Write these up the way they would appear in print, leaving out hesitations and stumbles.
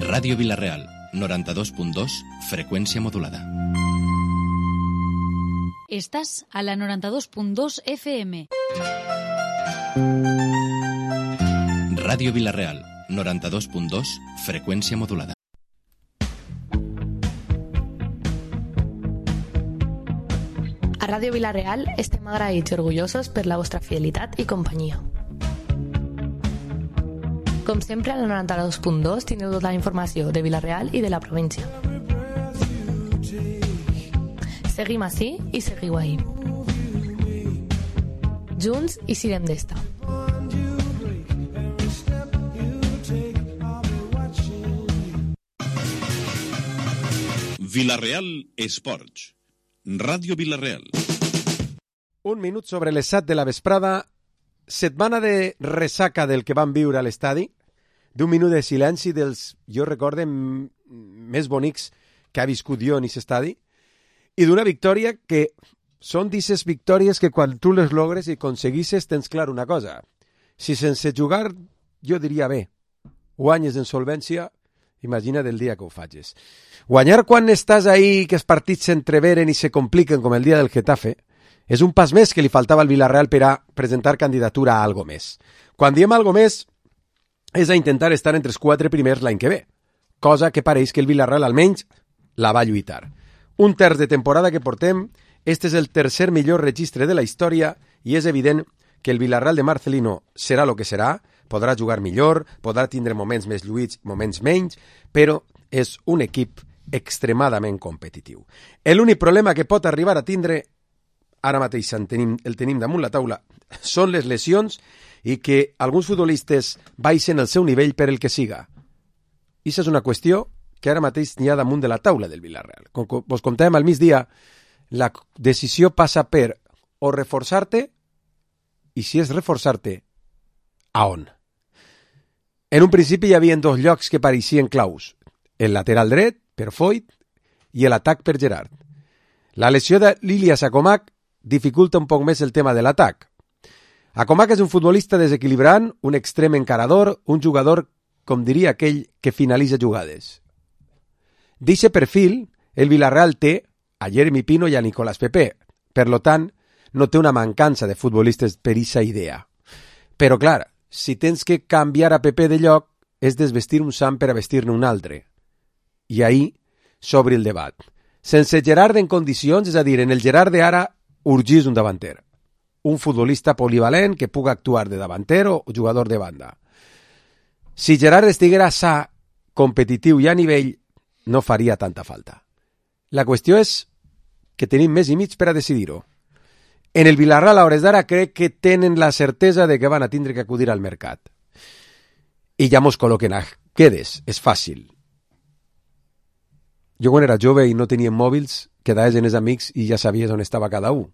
Ràdio Vila-real, 92.2, freqüència modulada. Estás a la 92.2 FM. Ràdio Vila-real, 92.2, freqüència modulada. A Ràdio Vila-real estem agraïts i orgullosos per la vostra fidelitat i companyia. Com sempre, a la 92.2 tindreu tota la informació de Vila-real i de la província. Seguim ací i seguiu ahí. Junts i sirem d'esta. Vila-real Esports. Ràdio Vila-real. Un minut sobre les 7 de la vesprada. Setmana de ressaca del que vam viure a l'estadi. D'un minut de silenci dels, jo recorde, més bonics que ha viscut jo en aquest estadi. I d'una victòria que són d'aquestes victòries que quan tu les logres i aconseguisses tens clar una cosa. Si sense jugar, jo diria bé, guanyes en solvència, imagina del dia que ho facis. Guanyar quan estàs ahí, que els partits s'entreveren i se compliquen com el dia del Getafe, és un pas més que li faltava al Vila-real per a presentar candidatura a algo més. Quan diem algo més, és a intentar estar entre els 4 primers l'any que ve, cosa que pareix que el Vila-real almenys la va lluitar. Un terç de temporada que portem, este és el tercer millor registre de la història i és evident que el Vila-real de Marcelino serà el que serà, podrà jugar millor, podrà tindre moments més lluïts, moments menys, però és un equip extremadament competitiu. L'únic problema que pot arribar a tindre, ara mateix el tenim damunt la taula, són les lesions i que alguns futbolistes baixen el seu nivell per el que siga. I això és una qüestió que ara mateix n'hi ha damunt de la taula del Vila-real. Com vos contàvem al migdia, la decisió passa per o reforçar-te, i si és reforçar-te, a on? En un principi hi havia 2 llocs que pareixien claus. El lateral dret, per Foyt, i l'atac per Gerard. La lesió de l'Ilias Akomak dificulta un poc més el tema de l'atac. Akomak és un futbolista desequilibrant, un extrem encarador, un jugador, com diria aquell, que finalitza jugades. D'eixe perfil, el Vila-real té a Jeremy Pino i a Nicolás Pepe. Per lo tant, no té una mancança de futbolistes per eixa idea. Però, clar, si tens que canviar a Pepe de lloc, és desvestir un sant per a vestir-ne un altre. I ahí s'obre el debat. Sense Gerard en condicions, és a dir, en el Gerard d'ara, urgís un davanter. Un futbolista polivalent que puga actuar de davanter o jugador de banda. Si Gerard estiguera sa, competitiu i a nivell, no faria tanta falta. La qüestió és que tenim més i mig per a decidir-ho. En el Vila-real, a hores d'ara, crec que tenen la certesa de que van a tindre que acudir al mercat. I ja mos col·loquen a quedes. És fàcil. Jo quan era jove i no tenia mòbils, quedaves en els amics i ja sabies on estava cada un.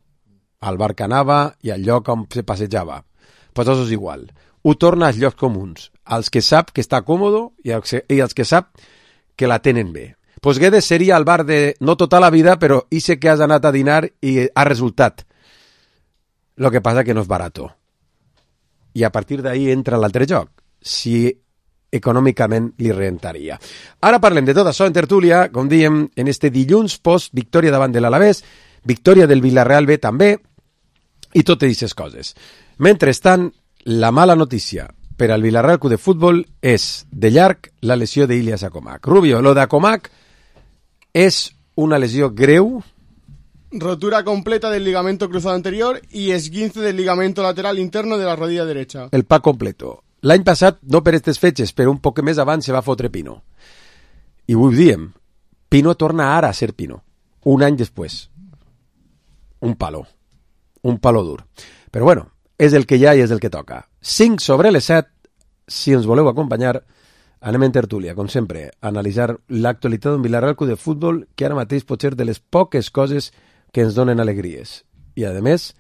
Al bar que anava i al lloc on se passejava. Pues això és igual. Ho torna als llocs comuns. Als que sap que està còmodo i als que sap que la tenen bé. Pues Guedes seria el bar de no tota la vida, però hi sé que has anat a dinar i ha resultat. Lo que passa que no és barato. I a partir d'ahí entra l'altre joc. Si econòmicament li rentaria. Ara parlem de tot això en tertúlia, com diem, en este dilluns post victòria davant de l'Alavés, victòria del Vila-real B també, i totes aquestes coses. Mentrestant, la mala notícia per al Vila-real Club de Futbol és, de llarg, la lesió d'Ilias Akomak. Rubio, lo d'Akomak és una lesió greu. Rotura completa del ligamento cruzado anterior y esguince del ligamento lateral interno de la rodilla derecha. El pack completo. L'any passat, no per aquestes fetges, però un poc més abans se va fotre Pino. I ho diem, Pino torna ara a ser Pino. Un any després. Un palo dur. Però bueno, és el que hi ha i és el que toca. 5 sobre les 7, si ens voleu acompanyar, anem en tertúlia, com sempre, a analitzar l'actualitat d'un Vila-real Club de Futbol que ara mateix pot ser de les poques coses que ens donen alegries. I, a més,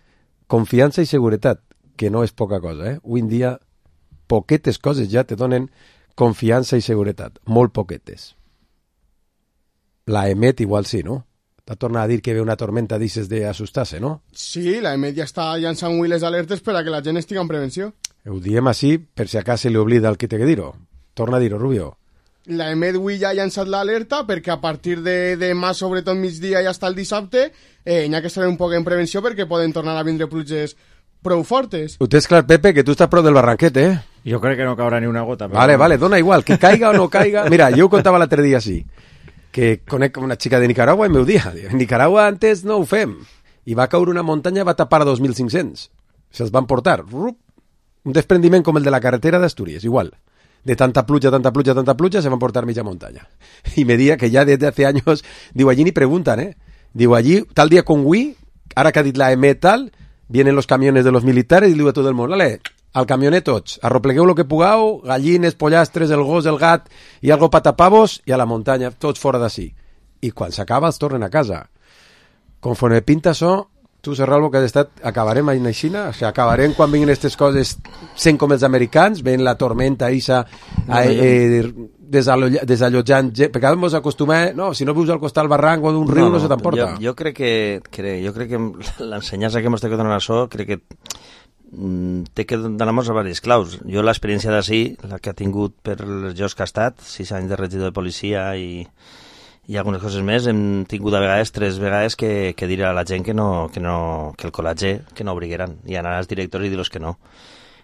confiança i seguretat, que no és poca cosa, Avui en dia, poquetes coses ja te donen confiança i seguretat. Molt poquetes. La EMET igual sí, no? T'ha tornat a dir que ve una tormenta d'aixes d'assustar-se, no? Sí, la EMET ja està llançant les alertes per a que la gent estigui en prevenció. Ho diem així per si acá se li oblida el que té que dir-ho. Torna a dir-ho, Rubio. la EMET avui ja ha llançat l'alerta perquè a partir de demà, sobretot migdia i hasta el dissabte, n'hi ha que estar un poc en prevenció perquè poden tornar a vindre pluges prou fortes. Ho tens clar, Pepe, que tu estàs prou del barranquet, Jo crec que no caurà ni una gota. Però... Vale, dona igual, que caiga o no caiga. Mira, jo ho contava l'altre dia així, que conec una xica de Nicaragua i m'ho dia. En Nicaragua antes no ho fem. I va caure una muntanya i va tapar a 2.500. Se'ls van portar. Un desprendiment com el de la carretera d'Astúries, igual. De tanta pluja, se van portar mitja muntanya. Y me dia que ya desde hace años, digo, allí ni preguntan, Digo, allí, tal día con Wii, ahora que ha dit la EMET tal, vienen los camiones de los militares y digo a todo el mundo, vale, al camionet tots, arroplegueu lo que pugueu, gallines, pollastres, el gos, el gat i algo patapavos i a la muntanya, tots fora d'ací. I quan s'acaba els tornen a casa. Conforme pinta això, tu, Serralvo, que has estat, acabarem a Xina, o sigui, acabarem quan vinguin aquestes coses sent com els americans, ven la tormenta Isa desallotjant, perquè ara ens acostumem, no, si no vius al costat del barranc o d'un riu no se t'emporta. Jo crec que l'ensenyança que ens té que donar això, crec que té que donar-nos a diversos claus. Jo l'experiència d'ací, la que ha tingut per els jocs que ha estat, 6 anys de regidor de policia i algunes coses més, hem tingut a vegades 3 vegades que dir a la gent que el col·latge que no obrigueren i anar als directors i dir-los que no.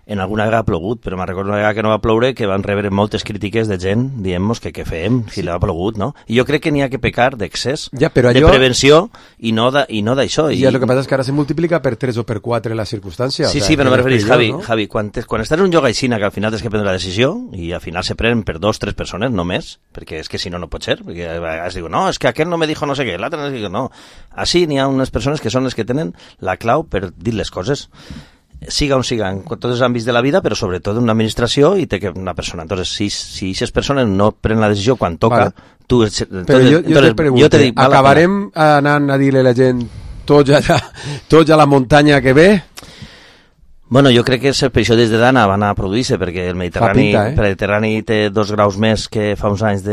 En alguna vegada ha plogut, però me'n recordo una vegada que no va ploure que van rebre moltes crítiques de gent dient-nos que què fem si l'ha plogut, no? I jo crec que n'hi ha que pecar d'excés, de prevenció i no d'això. I el que passa és que ara se multiplica per 3 o per 4 la circumstància. Sí, però me referís, Javi, quan estàs en un lloc així que al final tens que prendre la decisió i al final se prenen per 2 o 3 persones només, perquè és que si no, no pot ser, perquè a vegades digo, no, és que aquell no me dijo no sé què, l'altre no sé què, no. Així n'hi ha unes persones que són les que tenen la clau per dir les coses, siga on siga, en tots els àmbits de la vida, però sobretot en una administració i té que una persona. Entonces, si aquestes persones no prenen la decisió quan toca, tu... Però jo te pregunto, acabarem anant a dir-li a la gent tots a la muntanya que ve? Bueno, jo crec que les expedicions des de Dana van a produir-se perquè el Mediterrani té 2 graus més que fa uns anys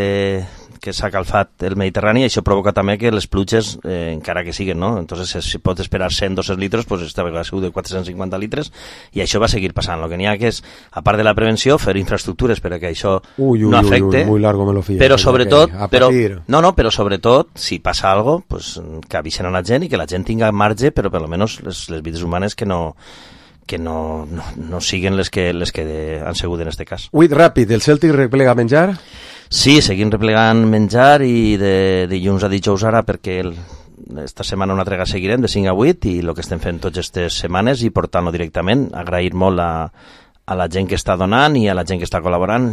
que s'ha calfat el Mediterrani i això provoca també que les pluges, encara que siguen, no? Entonces, si pots esperar 100-200 litres, pues esta vegada ha sigut de 450 litres i això va seguir passant. El que n'hi ha que és, a part de la prevenció, fer infraestructures perquè això no afecte, muy largo me lo fío, però sobretot, però sobretot, si passa algo, pues, que avisen a la gent i que la gent tinga marge, però per almenys les vides humanes que no siguen les que han sigut en este cas. Uit, ràpid, el Celtic replega menjar? Sí, seguim replegant menjar i de dilluns a dijous ara perquè esta setmana una trega seguirem de 5 a 8 i el que estem fent tots aquestes setmanes i portant-lo directament, agrair molt a la gent que està donant i a la gent que està col·laborant.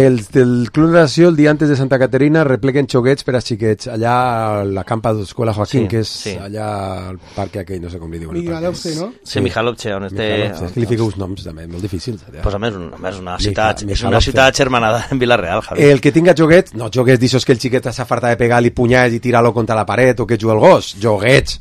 El Club Natació el dia antes de Santa Caterina repleguen xoguets per a xiquets allà a la campa d'Escola Joaquín, que és allà al parc aquell, no sé com li diuen. Mijalovce, no? Sí, Mijalovce, on té... És que li fica uns noms també, molt difícils. Pues a més, una ciutat germanada en Vila-real, Javi. El que tinga joguets, no joguets d'aixòs que el xiquet s'afarta de pegar-li punyals i tirar-lo contra la paret o que juga al gos, joguets,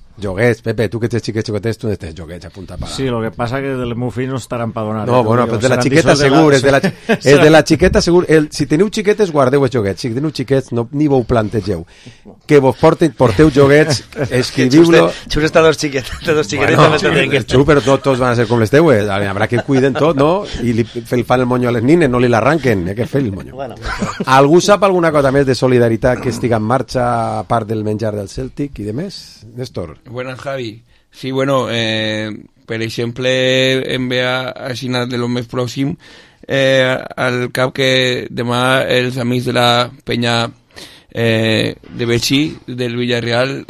Pepe, tu que ets xiquets, tu n'estàs joguets a punta para. Sí, lo que passa que del meu fill no estarà empadonat. No, bueno, però de la xiqueta segur, és de la xiqueta segur. Si teniu xiquetes, guardeu els joguets. Si teniu xiquets, ni vos plantegeu. Que vos porteu joguets, escriviu-lo... Xus està dos xiquetes també que Xus, però tots van a ser com les teues. Habrà que cuiden tot, no? I li fan el monyo a les nines, no li l'arranquen. Hay que fer el monyo. Algú sap alguna cosa més de solidaritat que estiga en marxa a part del menjar del Celtic i de més? Néstor? Buenas, Javi. Sí, bueno, per exemple, em ve a Xina de lo més pròxim al cap que demà els amics de la penya de Betxí, del Villarreal,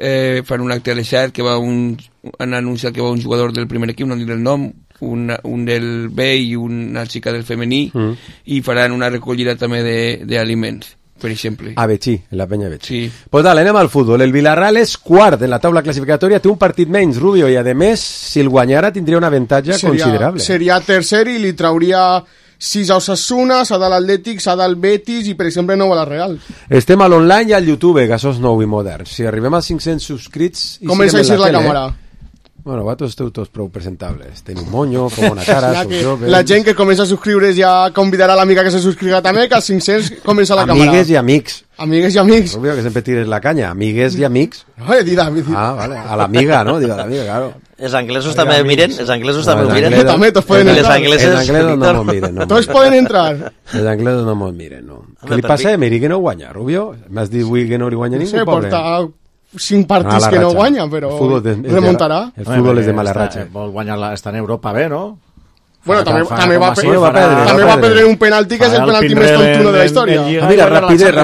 fan un acte a l'Eixat que han anunciat que va un jugador del primer equip, no diré el nom, un del B i una xica del femení, i faran una recollida també d'aliments, per exemple. A Betxí, en la penya Betxí. Sí. Pues dale, anem al futbol. El Villarreal és quart en la taula classificatòria, té un partit menys, Rubio, i a més, si el guanyara tindria un avantatge considerable. Seria tercer i li trauria 6 a Osasuna, 7 a l'Atlètic, 7 al Betis i, per exemple, 9 a la Real. Estem a l'online i al YouTube, que això és nou i modern. Si arribem als 500 subscrits... Comença a eixir la càmera. Bueno, vosaltres esteu tots prou presentables. Teniu un monyo, com una cara, sou joves... La gent que comença a subscriure's ja convidarà l'amiga que se subscriga també, que als 500 comença la càmera. Amigues i amics. Amigues i amics. Rubio, que sempre tires la canya. Amigues i amics. No, he dit amics. Ah, vale. A l'amiga, no? Digo, a l'amiga, claro. Els anglesos també miren? Els anglesos també miren? També, tots poden entrar. Els anglesos no mos miren. Tots poden entrar. Els anglesos no mos miren, no. Què li passa a Emery que no guanya, Rubio? M'has dit avui que no li guanya ningú, pobre. Porta 5 partits que no guanya, però remuntarà. El futbol és de mala ratxa. Vol guanyar, està en Europa bé, no? Bueno, també va perdre un penalti que és el penalti més tontuno de la història. Mira, rapidet.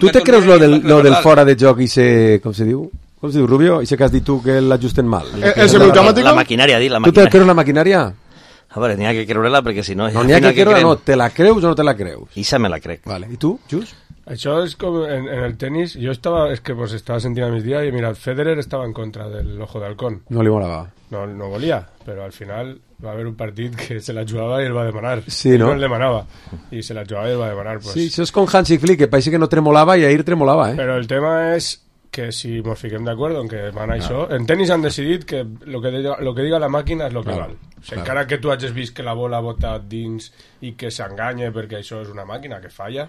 Tu te creus lo del fora de joc i se... Com se diu? Com se diu, Rubio? I que has dit tu que l'ajusten mal. El semiautomàtic? La maquinària, la maquinària. Tu te creus la maquinària? A veure, n'hi ha que creure-la perquè si no... No, n'hi ha que creure-la, no. Te la creus o no te la creus? Ixa me la crec. Vale. I tu, Just? Això és com en el tenis. Jo estava sentint a mis días i mira, Federer estava en contra del Ojo de Halcón. No li molava. No volia, però al final va haver un partit que se la jugava i el va demanar. Sí, no? No el demanava. I se la jugava i el va demanar. Pues. Sí, això és com Hansi Flick, que pareix que no tremolava i ahir tremolava, eh? Però el tema és que si ens fiquem d'acord en que van això... En tenis han decidit que lo que diga la màquina és lo que val. O sigui, encara que tu hagis vist que la bola bota dins i que s'enganya perquè això és una màquina que falla,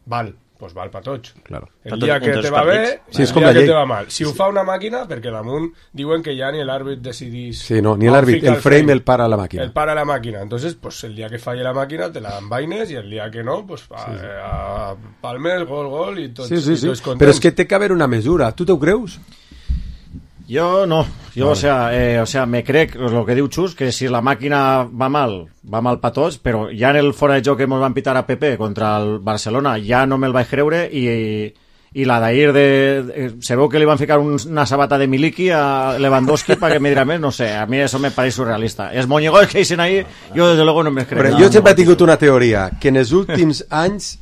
val. Pues val per tots. Claro. El dia que te va bé, sí, el dia que te va mal. Si ho fa una màquina, perquè damunt diuen que ja ni l'àrbit decidís... Sí, no, ni l'àrbit, el frame el para la màquina. El para la màquina. Entonces, pues el dia que falle la màquina te la envaines i el dia que no, pues a palmes, gol, i tots, sí. tots contents. Però és que té que haver una mesura. Tu t'ho creus? Yo no, o sea, me crec lo que diu Xus, que si la màquina va mal per tots, però ja en el fora de joc que ens van pitar a PP contra el Barcelona ja no me'l vaig creure i la d'ahir se veu que li van ficar una sabata de Miliki a Lewandowski para que me dirà més, no sé, a mi eso me parece surrealista. Els moñigos que dicen ahí, yo desde luego no me creo. Però jo sempre he tingut una teoria, que en els últims anys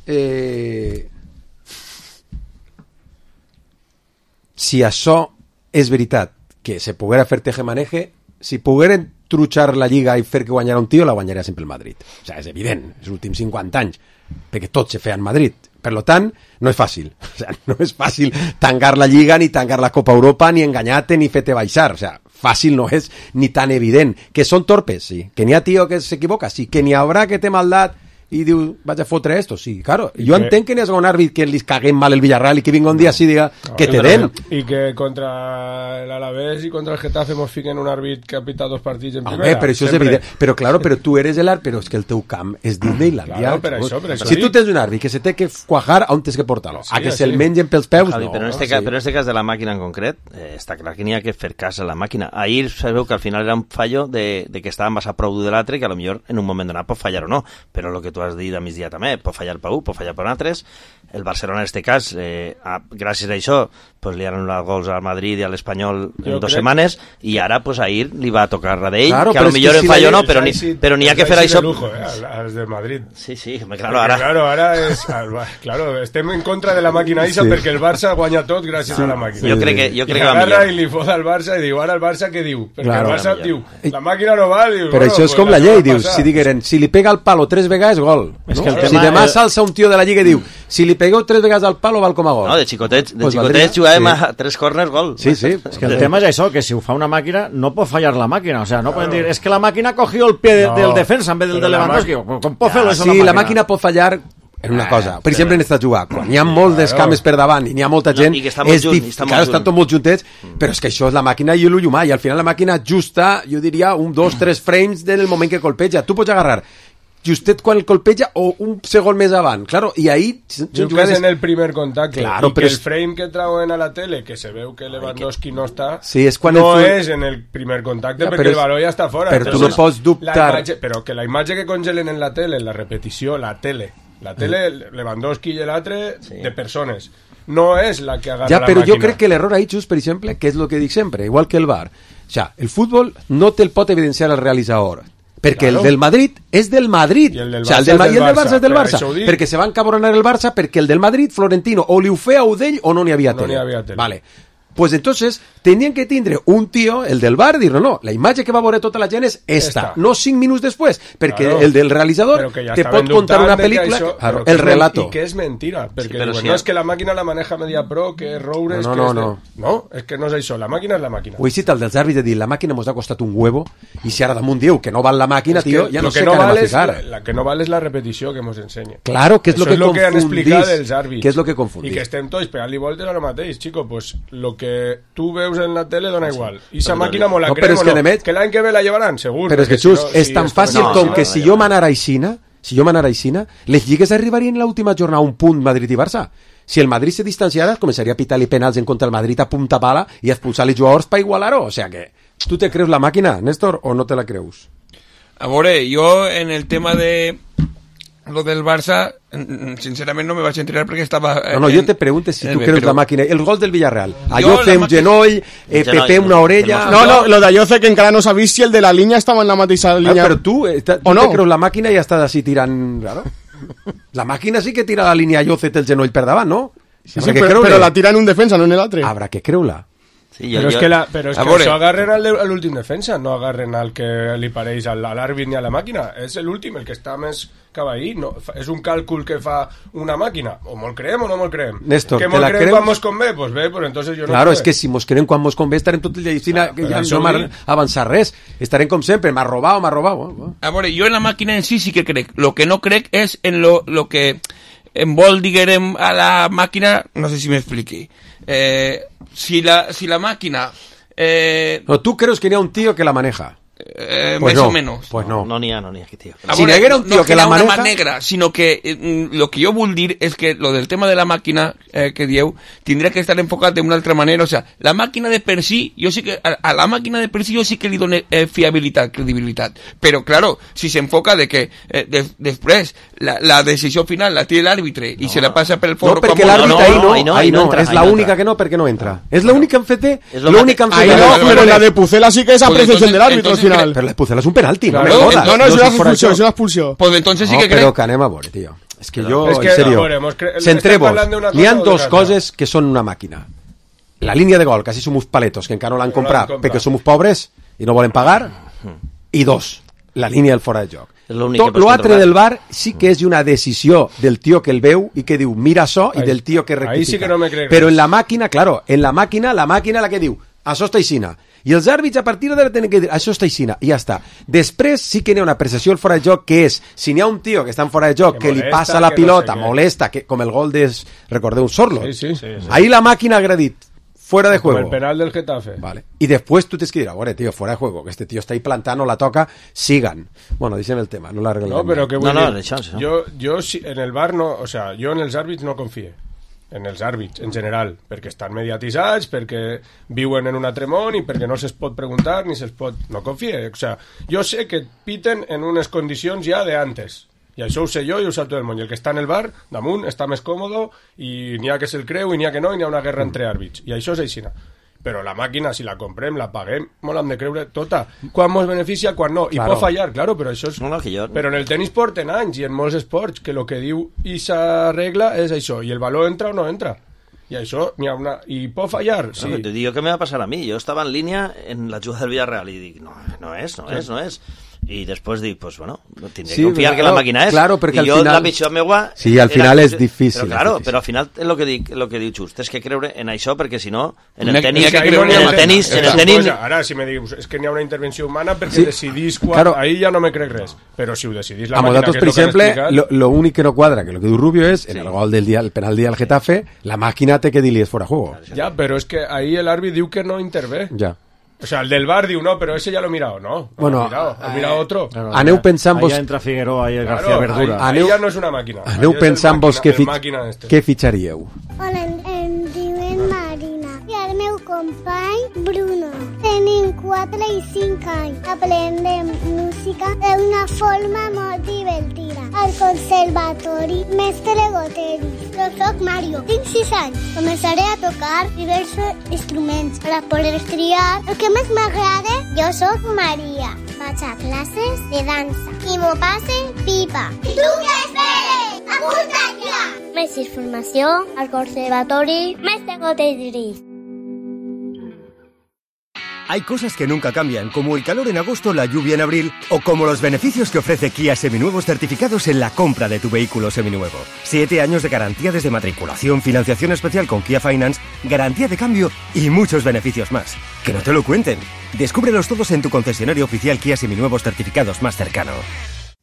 si això és veritat que se poguera fer tejemaneje, si pogueren trutxar la Lliga i fer que guanyara un tio, la guanyaria sempre el Madrid. O sigui, és evident, els últims 50 anys, perquè tot se feia en Madrid. Per tant, no és fàcil. O sigui, no és fàcil tancar la Lliga, ni tancar la Copa Europa, ni enganyar-te, ni fer-te baixar. O sigui, fàcil no és ni tan evident. Que són torpes, sí. Que n'hi ha tio que s'equivoca, sí. Que n'hi haurà que té maldat i diu, vaig a fotre esto, sí, claro. Jo entenc que n'hi ha un àrbit que li caguem mal el Villarreal i que vinga un dia així i diga que te den. I que contra l'Alavés i contra el Getafe mos fiquen un àrbit que ha pitat 2 partits en primera. Però això és evident. Però claro, però tu eres l'àrbit, però és que el teu camp és Disneylandia. Claro, per això si tu tens un àrbit que se té que cuajar, on tens que portar-lo? A que se'l mengen pels peus? Javi, no. Però en este cas de la màquina en concret, està clar que n'hi ha que fer cas a la màquina. Ahir sabeu que al final era un fallo de que estàvem basat prou de l'altre, que a lo millor en un moment donat pot fallar o no, però el que tu has dit a migdia també, pot fallar per un, pot fallar per altres. El Barcelona en este cas, gràcies a això, pues, li han anul·lat gols al Madrid i a l'Espanyol en 2 setmanes, i ara pues, ahir li va tocar la d'ell, claro, que a lo millor en fallo no, però n'hi ha que fer això. Lujo, els del Madrid. Sí, claro, ara... Claro, estem en contra de la màquina Isa perquè el Barça guanya tot gràcies a la màquina. Jo crec que va millor. I li foda al Barça i diu, ara el Barça què diu? Perquè el Barça diu, la màquina no val. Però això és com la llei, dius, si digueren, si li pega al palo 3 vegades, gol. Si demà s'alça un tio de la Lliga i diu, si li pegueu 3 vegades al palo val com a gol. No, de xicotets jugàvem a 3 corners, gol. Sí. És que el tema és això, que si ho fa una màquina no pot fallar la màquina, o sea, no poden dir, es que la màquina ha cogido el pie del defensa en vez del de Lewandowski. Com pot fer-lo això la màquina? Sí, la màquina pot fallar en una cosa, per exemple en esta jugada, quan hi ha molt d'escames per davant i n'hi ha molta gent, estan tots molt juntets, però és que això és la màquina i l'ull humà, i al final la màquina justa, jo diria, 1, 2, 3 frames del moment que colpeja. Tu pots agarrar justet quan el colpeja o un segon més avant, claro, i ahí jo crec que és en el primer contacte, claro, i que el frame que trauen a la tele, que se veu que Lewandowski no està, sí, és no és en el primer contacte, perquè el baló ja està fora. Però tu no pots dubtar. Però que la imatge que congelen en la tele, en la repetició, la tele, Lewandowski i l'altre, de persones, no és la que agarra la màquina. Però jo crec que l'error ahí, Xus, per exemple, que és el que dic sempre, igual que el VAR, o sea, el futbol no te'l pot evidenciar el realitzador, perquè el del Madrid és del Madrid, el del Barça és del Barça, perquè se va encabronar el Barça perquè el del Madrid, Florentino, o li ho feia a d'ell o no n'hi havia tele. Vale. Pues entonces tenien que tindre un tio, el del bar, dir no, la imatge que va veure tota la gent és esta, no 5 minuts després, perquè el del realitzador te pot contar una pel·lícula, claro, el relato. I que és mentira, perquè diuen, no, és que la màquina la maneja MediaPro, que és Roures... No, és que no és això, la màquina és la màquina. Ho he citat dels àrbits de dir, la màquina mos ha costat un huevo, i si ara damunt diu que no val la màquina, tio, ja no sé què anem a ficar. La que no val és la repetició que mos ensenya. Claro, que és lo que confundís. Això és lo que han explicat els àrbits. Que és lo que confundís. I que estem tots pegant-li voltes a lo mateix, chico, pues lo que tu veus en la tele dona igual. I esa màquina mo la creem o no. Que l'any que ve la llevaran, segur. Però és que, Xus, és tan fàcil com que si jo m'anara a Aixina, les lligues arribarien l'última jornada a un punt Madrid i Barça. Si el Madrid se distanciara, començaria a pitar-li penals en contra el Madrid a punta pala i a expulsar-li jugadors per igualar-ho. O sea que, tu te creus la màquina, Néstor, o no te la creus? A veure, jo en el tema de lo del Barça, sincerament no me vaig enterar perquè estava... No, jo te pregunto si tu creus la màquina. El gol del Villarreal. Ayoce un genoll, Pepe una orella... No, lo de Ayoce que encara no s'ha vist si el de la línia estava en la mateixa línia. Però tu te creus la màquina i estàs així tirant... Claro. La màquina sí que tira la línia Ayoce el genoll per davant, no? Sí, però la tira en un defensa, no en l'altre. Habrá que creure-la. Sí, però és que això agarren a l'últim defensa, no agarren al que li pareix a l'àrbit ni a la màquina. És l'últim, el que està més cap ahí. No, és un càlcul que fa una màquina. O mos creem o no mos creem. Néstor, que mos creem quan mos convé? Pues bé, pues entonces jo no. Claro, és que si mos creem quan mos convé estarem tot el dia que ja no m'ha avançat res. Estarem com sempre, m'ha robat. A veure, jo en la màquina en sí que crec. Lo que no crec és en lo que envol, diguem, a la màquina, no sé si m'expliqui. Si la máquina... No, ¿tú crees que ni a un tío que la maneja? Pues más o menos. Pues no. No n'hi ha, tío. Si n'hi haguera un tío que la maneja... No una mà negra, sinó que lo que jo vull dir és que lo del tema de la màquina que dieu tindria que estar enfocat d'una altra manera. O sea, la màquina de per si, jo sí que a la màquina de per si jo sí que li dono fiabilitat, credibilitat. Però, claro, si s'enfoca de que després la decisió final la té l'àrbitre i se la passa per el forro... No, perquè l'àrbitre ahí no, és l'única que no, perquè no entra. És l'única en fet, l'única en fet... Però la de Pucela sí que és apreciació de l'àrbitre al final. Però la de Pucela és un penalti, no me jodas. No, és una expulsió. Pues entonces sí que crec... Però que anem a veure, tio. És que jo, en serio, centremos. Hi ha dos coses que són una màquina. La línia de gol, que així som uns paletos, que encara no l'han comprat perquè som uns pobres i no volen pagar. I dos, la línia del fora de joc. Tot l'altre del bar sí que és una decisió del tio que el veu i que diu mira això i del tio que rectifica. Ahí sí que no me crec. Però en la màquina, claro, la màquina la que diu això està aixina. I els àrbits a partir d'ara tenen que dir això està aixina i ja està. Després sí que n'hi ha una apreciació del fora de joc que és, si n'hi ha un tio que està en fora de joc que li passa la pilota, molesta, com el gol de, recordeu, Sorlo. Sí. Ahí la màquina ha dit fuera de juego. Como el penal del Getafe. Vale. Y después tú tienes que decir, tío, fuera de juego, que este tío está ahí plantando, la toca, sigan. Bueno, dicen el tema, no la arreglan. No, pero que bueno. Yo en el VAR no, o sea, yo en els àrbits no confie. En els àrbits, en general, perquè estan mediatitzats, perquè viuen en un altre món i perquè no se'ls pot preguntar ni se'ls pot... No confie, o sea, jo sé que piten en unes condicions ja de antes. I això ho sé jo i ho sap tot el món. I el que està en el bar, damunt, està més còmodo i n'hi ha que se'l creu i n'hi ha que no i n'hi ha una guerra entre àrbits. I això és aixina. Però la màquina, si la comprem, la paguem, molt l'hem de creure tota. Quan mos beneficia, quan no. I pot fallar, claro, però això és... Però en el tenis porten anys i en molts esports que el que diu ixa regla és això. I el valor entra o no entra. I això n'hi ha una... I pot fallar, sí. No, te digo que me va a pasar a mí. Yo estaba en línea en la jugada del Villarreal y digo, no es. Y después digo, pues bueno, tendré que confiar que la máquina es. Claro, porque al final... La pitjor meua... Sí, al final és difícil. Però claro, però al final és el que diu Just, és que creure en això, perquè si no, en el tenis... Ara, si me dius, és que n'hi ha una intervenció humana perquè decidís quan... Ahí ja no me crec res. Però si ho decidís la màquina, que és el que han explicat... Lo únic que no quadra, que lo que diu Rubio és, en el gol del día, el penal día del Getafe, la màquina té que dir-li és fora juego. Ja, però és que ahí l'àrbit diu que no intervé. Ja. O sea, el del bar diu no, pero ese ya lo he mirado, ¿no? Bueno, ha mirado otro. Aneu pensant vos... Allà entra Figueroa i el García Verdura. Ahí ya no és una màquina. Aneu pensant vos què fitxaríeu. Hola, em diuen Marina. I el meu company, Bruno. Tenim 4 i 5 anys. Aprendem música d'una forma molt divertida. Al conservatori Mestre Goteri. Jo soc Mario, tinc 6 anys. Començaré a tocar diversos instruments per a poder triar el que més m'agrada. Jo soc Maria. Vaig a classes de dansa. I m'ho passe pipa. I tu què esperes? Apunta't ja! Més informació al conservatori Mestre Goteri. Hay cosas que nunca cambian, como el calor en agosto, la lluvia en abril, o como los beneficios que ofrece Kia Seminuevos certificados en la compra de tu vehículo seminuevo. 7 años de garantía desde matriculación, financiación especial con Kia Finance, garantía de cambio y muchos beneficios más. Que no te lo cuenten. Descúbrelos todos en tu concesionario oficial Kia Seminuevos certificados más cercano.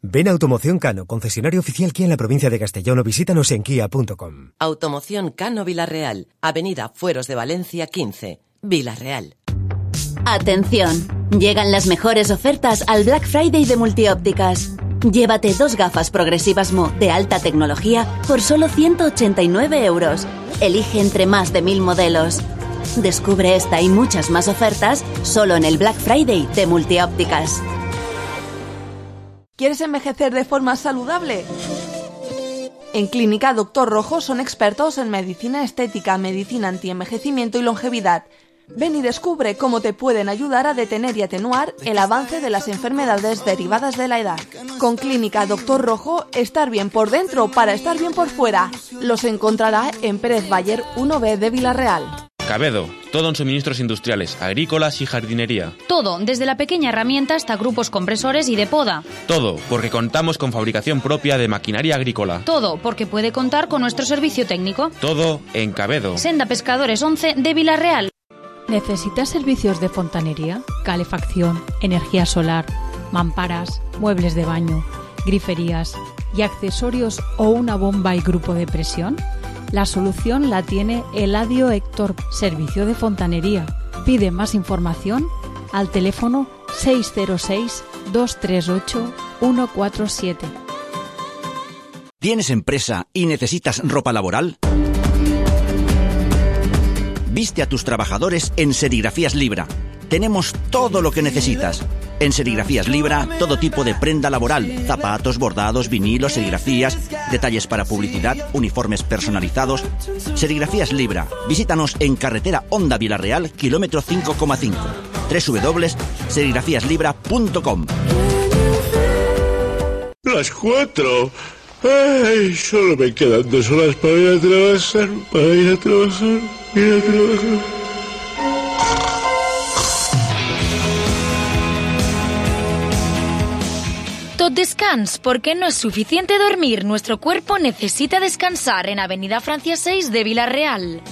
Ven a Automoción Cano, concesionario oficial Kia en la provincia de Castellón, o visítanos en kia.com. Automoción Cano Vilarreal, Avenida Fueros de Valencia 15, Vilarreal. Atención, llegan las mejores ofertas al Black Friday de Multiópticas. Llévate 2 gafas progresivas Mo de alta tecnología por solo 189 euros. Elige entre más de 1000 modelos. Descubre esta y muchas más ofertas solo en el Black Friday de Multiópticas. ¿Quieres envejecer de forma saludable? En Clínica Doctor Rojo son expertos en medicina estética, medicina antienvejecimiento y longevidad. Ven y descubre cómo te pueden ayudar a detener y atenuar el avance de las enfermedades derivadas de la edad. Con Clínica Doctor Rojo, estar bien por dentro para estar bien por fuera. Los encontrará en Pérez Bayer 1B de Vilarreal. Cabedo, todo en suministros industriales, agrícolas y jardinería. Todo, desde la pequeña herramienta hasta grupos compresores y de poda. Todo, porque contamos con fabricación propia de maquinaria agrícola. Todo, porque puede contar con nuestro servicio técnico. Todo en Cabedo. Senda Pescadores 11 de Vilarreal. ¿Necesitas servicios de fontanería, calefacción, energía solar, mamparas, muebles de baño, griferías y accesorios o una bomba y grupo de presión? La solución la tiene Eladio Héctor, servicio de fontanería. Pide más información al teléfono 606-238-147. ¿Tienes empresa y necesitas ropa laboral? Viste a tus trabajadores en Serigrafías Libra. Tenemos todo lo que necesitas. En Serigrafías Libra, todo tipo de prenda laboral, zapatos, bordados, vinilos, serigrafías, detalles para publicidad, uniformes personalizados. Serigrafías Libra. Visítanos en carretera Honda Vilarreal, kilómetro 5,5. www.serigrafíaslibra.com. Las 4. Ay, solo me quedan 2 horas para ir a trabajar, Tot descans, porque no es suficiente dormir. Nuestro cuerpo necesita descansar en Avenida Francia 6 de Vilarreal.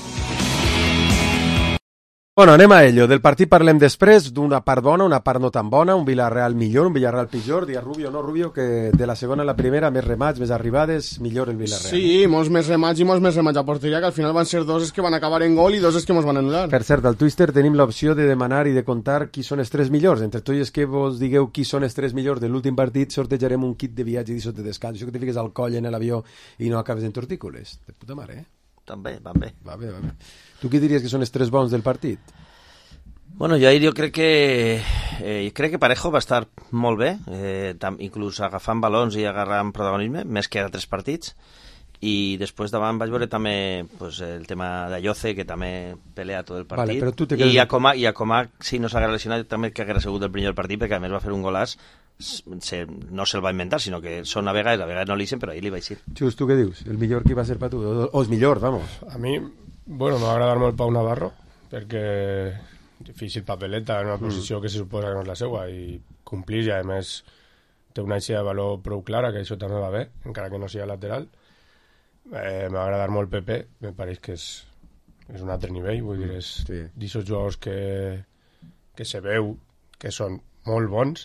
Bueno, anem a ello. Del partit parlem després, d'una part bona, una part no tan bona, un Villarreal millor, un Villarreal pitjor, dia Rubio o no Rubio, que de la segona a la primera, més remats, més arribades, millor el Villarreal. Sí, molts més remats i molts més remats a porteria, que al final van ser 2 que van acabar en gol i 2 que ens van anul·lar. Per cert, al Twitter tenim l'opció de demanar i de contar qui són els 3 millors. Entre tots els que vos digueu qui són els 3 millors de l'últim partit, sortejarem un kit de viatge i de descans. Això que te fiques al coll en l'avió i no acabes en tortícoles. De puta mare, També, van bé. Va bé. Tu què diries que són els 3 bons del partit? Bueno, jo crec que Parejo va estar molt bé, inclús agafant balons i agarrant protagonisme, més que a 3 partits, i després davant vaig veure també pues, el tema d'Ayoce, que també pelea tot el partit, vale, i a Comà, si no s'hagués lesionat, també que hagués sigut el primer partit, perquè a més va fer un golàs, no se'l va inventar, sinó que són a vegades no l'ixen, però ahir li vaig dir. Xus, tu què dius? El millor qui va ser per tu? O els millors, vamos? A mi, bueno, m'ha agradat molt Pau Navarro, perquè difícil papeleta en una posició que se suposa que no és la seva i complir, i a més té una eixida de valor prou clara, que això també va bé, encara que no sigui lateral. M'ha agradat molt Pepe, me pareix que és un altre nivell, vull dir, és d'aquests jugadors que se veu que són molt bons,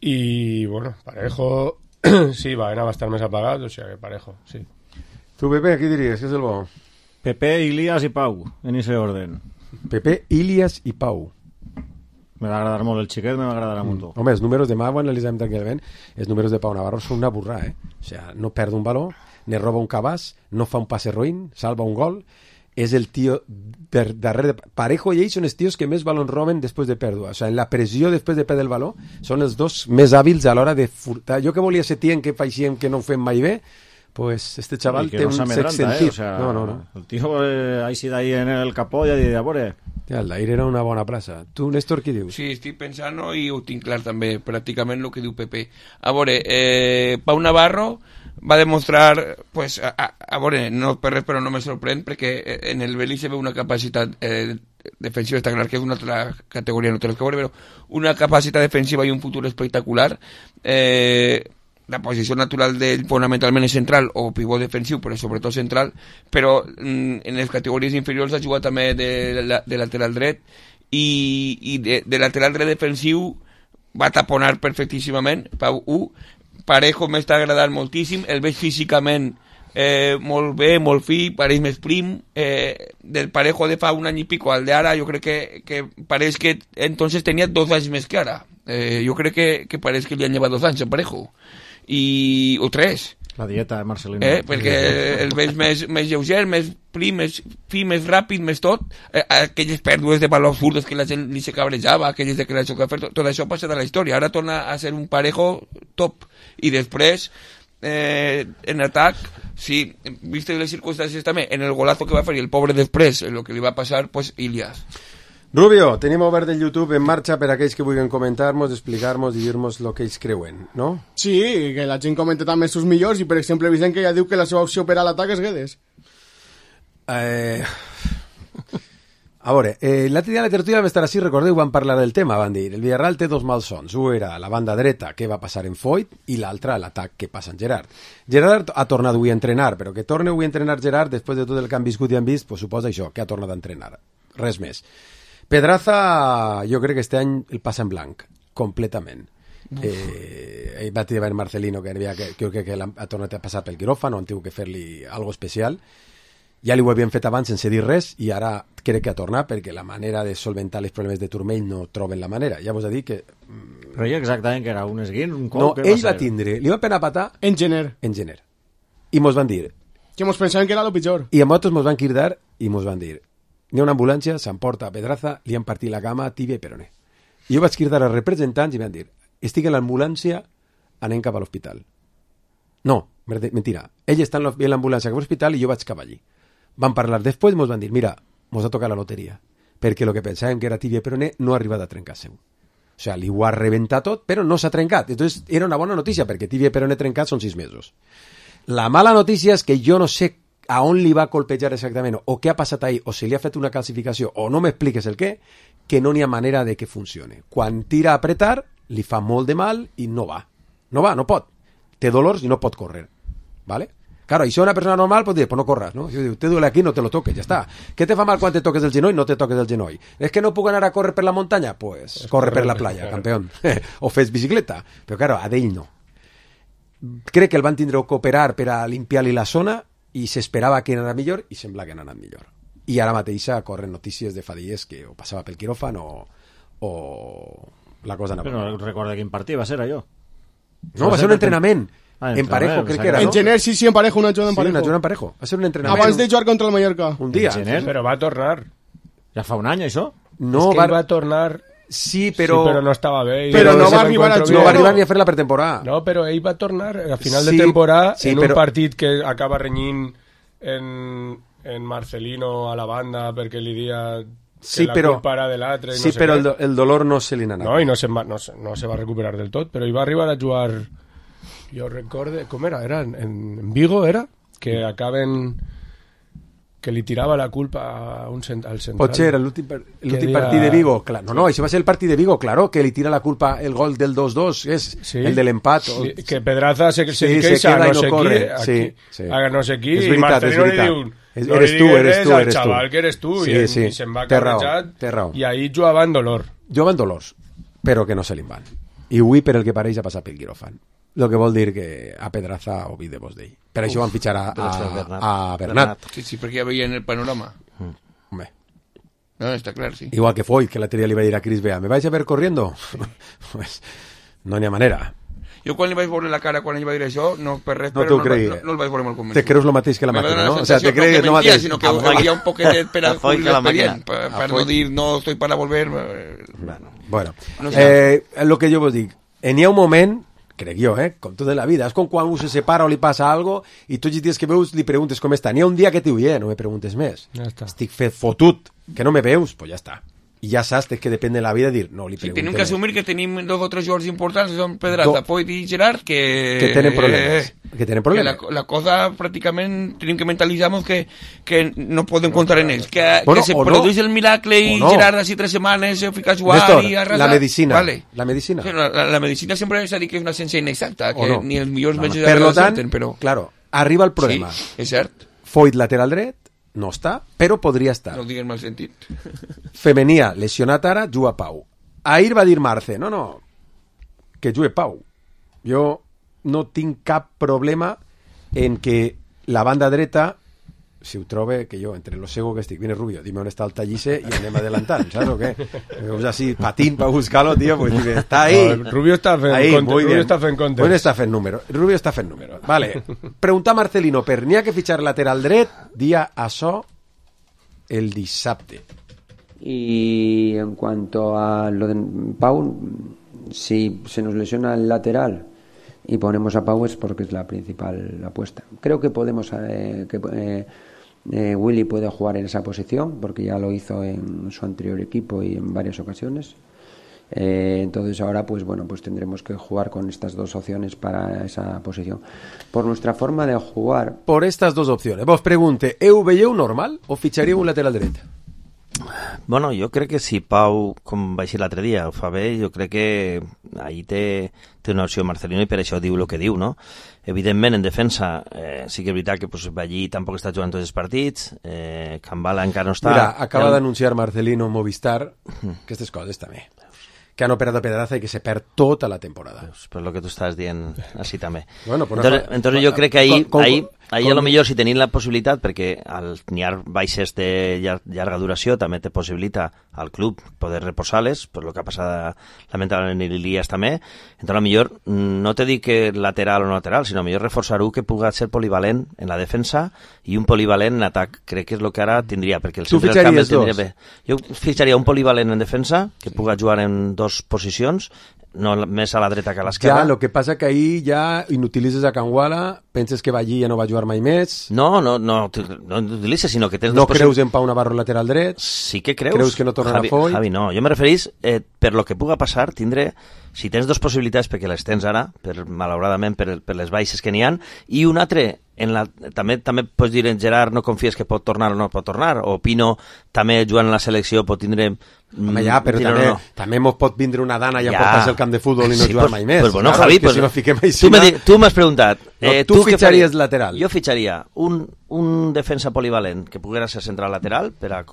i bueno, Parejo sí, va anar bastant més apagat, o sigui que Parejo, sí. Tu, Pepe, qui diries que és el bo? Pepe, Ilias i Pau, en ese orden. Pepe, Ilias i Pau. Me va agradar molt el xiquet, me va agradar molt. Home, els números de mà, ho analitzem tranquil·lament, els números de Pau Navarro són una burra, O sea, no perd un baló, ne roba un cabàs, no fa un passe roïn, salva un gol, és el tio darrere de... Parejo i ell són els tios que més balons roben després de pèrdua. O sea, en la pressió després de perdre el baló són els dos més hàbils a l'hora de furtar. Jo que volia ser tient que faixíem que no ho fem mai bé, pues este chaval té un sex sentit. O sea, no. El tío ahí sí d'ahí en el capó i de veure... Ja, el d'ahir era una bona plaça. Tu, Néstor, què dius? Sí, estic pensant i ho tinc clar també, pràcticament el que diu Pepe. A veure, Pau Navarro va demostrar, pues, a veure, no per res, però no me sorprèn, perquè en el Belí se veu una capacitat defensiva està clar que és una altra categoria, no té res que veure, però una capacitat defensiva i un futur espectacular. La posició natural d'ell fonamentalment és central o pivot defensiu, però sobretot central, però en les categories inferiors ha jugat també de lateral dret i de lateral dret defensiu va taponar perfectíssimament. Parejo m'està agradant moltíssim, el veig físicament molt bé, molt fi, pareix més prim, del Parejo de fa un any i pico al d'ara, jo crec que pareix que entonces tenia 2 anys més que ara. Jo crec que pareix que li han llevat 2 anys a Parejo, o 3. La dieta de Marcelino. Perquè el veig més lleuger, més prim, més fi, més ràpid, més tot. Aquelles pèrdues de valor absurdes que la gent li se cabrejava, aquelles de que la xoca fer, tot això passa de la història. Ara torna a ser un Parejo top. I després, en atac, sí, viste les circumstàncies també, en el golazo que va fer i el pobre després, el que li va passar, pues Ilias. Rubio, tenim obert el YouTube en marxa per a aquells que vulguin comentar-nos, explicar-nos i dir-nos el que ells creuen, no? Sí, que la gent comenta també els seus millors i, per exemple, Vicent que ja diu que la seva opció per a l'atac és Guedes. A veure, l'altre dia a la tertúlia vam estar així, recordeu, van parlar del tema, van dir, el Villarreal té 2 malsons, un era la banda dreta, què va passar en Foyt, i l'altre l'atac, què passa en Gerard. Gerard ha tornat avui a entrenar, però que torni avui a entrenar Gerard, després de tot el que han viscut i han vist, pues suposa això, que ha tornat a entrenar. Res més. Pedraza, jo crec que este any el passa en blanc, completament. Va dir Marcelino que crec que ha tornat a passar pel quiròfan, han tingut que fer-li algo especial. Ja li ho havien fet abans sense dir res i ara crec que ha tornat perquè la manera de solventar els problemes de turmell no troben la manera. Ja vos he dit que... Creia exactament que era un esguint, un cop... No, ell va tindre, li va penar patar... En gener. I mos van dir... Que mos pensaven que era lo pitjor. I a nosaltres mos van cridar i mos van dir... N'hi ha una ambulància, s'emporta a Pedraza, li han partit la cama, tibia i peroné. I jo vaig cridar als representants i van dir... Estic en l'ambulància, anem cap a l'hospital. No, mentira. Ell està en l'ambulància cap a l'hospital i jo vaig cap allí. Van parlar després i mos van dir, mira, mos ha tocat la loteria, perquè el que pensàvem que era tibia i peroné no ha arribat a trencar-se. O sigui, li ho ha rebentat tot, però no s'ha trencat. Entonces, era una bona notícia, perquè tibia i peroné trencat són 6 mesos. La mala notícia és que jo no sé a on li va colpejar exactament, o què ha passat ahí, o si li ha fet una calcificació, o no m'expliques el què, que no n'hi ha manera de que funcione. Quan tira a apretar, li fa molt de mal i no va. No pot. Té dolors i no pot córrer. ¿Vale? Claro, y si una persona normal, pues dice, pues no corras, ¿no? Yo digo, te duele aquí, no te lo toques, ya está. ¿Qué te fa mal cuando te toques el genoll? No te toques el genoll. ¿Es que no puedo ganar a correr per la montaña? Pues corre per la playa, campeón. O fes bicicleta. Però claro, a d'ell no. Crec que el van tindre que operar per a limpiar-li la zona i s'esperava que anara millor i sembla que ha anat millor. I ara mateix corren notícies de fa dies que o passava pel quiròfan o la cosa anava. Però no recorda quin partit va ser allò. No, va ser un entrenament. En Parejo, crec que era, ¿no? En gener, sí, en Parejo, una jugada en Parejo. Sí, una jugada en Parejo. Va ser un entrenament. Abans de jugar contra el Mallorca. Un dia. Però va tornar. Ja fa un any, això? No, és que va tornar... Sí, però no estava bé. Però no va arribar a jugar. No va arribar ni a fer la pretemporada. No, però ell va tornar a final de temporada en un partit que acaba renyint en Marcelino a la banda perquè li dia... Sí, però el dolor no se li n'ha anat. No, i no se va recuperar del tot, però ell va arribar a jugar, jo recorde, com era? Era en Vigo, era? Que acaben... que li tirava la culpa al central. Potser era l'últim partit de Vigo. No, això va ser el partit de Vigo, claro, que li tira la culpa el gol del 2-2, és el de l'empat. Sí, que Pedraza se queixa a no sé qui, i Marcelino li diu... Eres tu. Chaval, que eres tu, i se'n va carrejat, i ahí jugaven dolor. Jugaven dolors, però que no se li van. I avui, per el que pareix, ha passat pel quiròfan. El que vol dir que a Pedraza oblidem d'ell. Per això van fitxar a Bernat. Sí, perquè ja veien el panorama. Home. No, està clar, sí. Igual que Foyt, que l'altre dia li va dir a Cris Bea, ¿me vais a ver corriendo? Pues no n'hi ha manera. Jo quan li vaig veure la cara quan ell va dir això, no per res, però no el vaig veure molt convençut. Te creus lo mateix que la màquina, no? O sea, te crees no mentía, sino que había un poquet per per no dir no estoy para volver. Bueno, lo que jo vos dic, n'hi ha un moment, crec jo, com tot en la vida, és com quan un se separa o li passa algo i tots els dies que veus li preguntes com està. N'hi ha un dia que t'ho no me preguntes més. Ja està. Estic fet fotut, que no me veus, pues ja està. i ja saps que depèn de la vida dir, no li preguntem. Tenim que assumir que tenim 2 o 3 jugadors importants, que són Pedraza, Foyt i Gerard, que tenen problemes. Que tenen problemes. Que la cosa pràcticament tenim que mentalitzar-nos que no podem comptar en ells. Que se produeix el miracle i Gerard així 3 setmanes se fica a jugar i arrasa. La medicina. Vale. La medicina. Sí, la medicina sempre s'ha dit que és una ciència inexacta, que ni els millors metges per tant, senten, però... Claro, arriba el problema. Sí, és cert. Foyt lateral dret, no està, però podria estar. No ho digues mal sentit. Femenia, lesionat ara, juga Pau. Ahir va dir Marce, no, que jugue Pau. Jo no tinc cap problema en que la banda dreta, si ho trobe, que jo, entre lo cego que estic, viene Rubio, dime on està el Tallisse i anem adelantant, saps o què? Veus així, patín per buscar-lo, tío, pues està ahí. No, Rubio està fent contes. Rubio està fent número. Vale. Preguntar a Marcelino, per n'hi ha que fitxar lateral dret, dia això el dissabte. Y en cuanto a lo de Pau, si se nos lesiona el lateral y ponemos a Pau es porque es la principal apuesta. Creo que podemos Willy puede jugar en esa posición porque ya lo hizo en su anterior equipo y en varias ocasiones. Entonces ahora pues tendremos que jugar con estas 2 opciones para esa posición. Por nuestra forma de jugar... Por estas 2 opciones. Vos pregunte, veieu normal o fitxaríeu un lateral dret? Bueno, jo crec que si Pau, com va així l'altre dia, ho fa bé, jo crec que ahí té una opció Marcelino i per això diu el que diu, no? Evidentment, en defensa, sí que és veritat que Ballí tampoc està jugant tots els partits, Cambala encara no està... Mira, acaba d'anunciar Marcelino Movistar aquestes coses també, que han operat a Pedraza i que se perd tota la temporada. Pues lo que tú estás dient així també. Bueno, entonces jo crec que ahí a lo millor si tenim la possibilitat, perquè al n'hi ha baixes de llarga duració també te possibilita al club poder reposar-les, per lo que ha passat lamentablement en l'Ilias també, entonces a lo millor no te dic que lateral o no lateral, sinó a millor reforçar-ho que pugui ser polivalent en la defensa i un polivalent en atac, crec que és el que ara tindria, perquè el centre del camp el tindria bé. Jo fitxaria un polivalent en defensa, que pugui jugar en 2 posicions, no més a la dreta que a l'esquerra. Ja, el que passa que ahir ja inutilitzes a Canguala, penses que Ballí ja no va jugar mai més... No utilitzes, sinó que tens... No creus en Pau Navarro lateral dret? Sí que creus. Creus que no tornarà Foyt? Javi, no. Jo me referís, per lo que puga passar, tindré... Si tens 2 possibilitats, perquè les tens ara, malauradament per les baixes que n'hi ha, i un altre, també pots dir en Gerard no confies que pot tornar o no pot tornar, o Pino també jugant en la selecció pot tindre... Home, ja, però també mos pot vindre una dana i emportar-se el camp de futbol i no jugar mai més. Pues bueno, Javi, si no fiquem tu m'has preguntat... Tu fitxaries lateral? Jo fitxaria un defensa polivalent que poguera ser central lateral per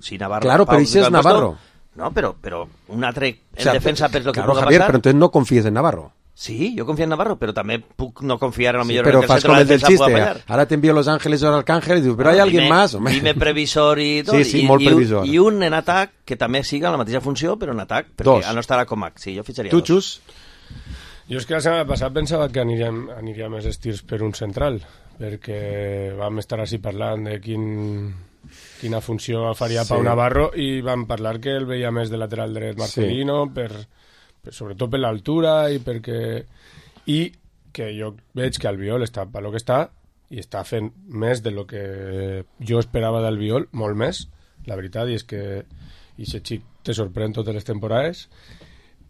si Navarro... Claro, però això és Navarro. No, però un altre en defensa per lo que puga passar... Però entonces no confies en Navarro. Sí, jo confio en Navarro, però també puc no confiar a lo millor pero en que el centre de la defensa pueda fallar. Ahora te envío Los Ángeles o Arcángel y dius, pero hay alguien más. Dime previsor i tot. Sí, molt previsor. I un en atac que també siga la mateixa funció, però en atac, perquè no estarà com Mac. Sí, jo fitxaria 2. Tu, Xus? Jo és que la setmana passada pensava que aniria més estirs per un central, perquè vam estar així parlant de quina funció faria Pau Navarro i vam parlar que el veia més de lateral dret Marcelino, sobretot per l'altura i que jo veig que Albiol està per lo que està i està fent més de lo que jo esperava d'Albiol, molt més, la veritat, i és que aquest xic te sorprèn totes les temporades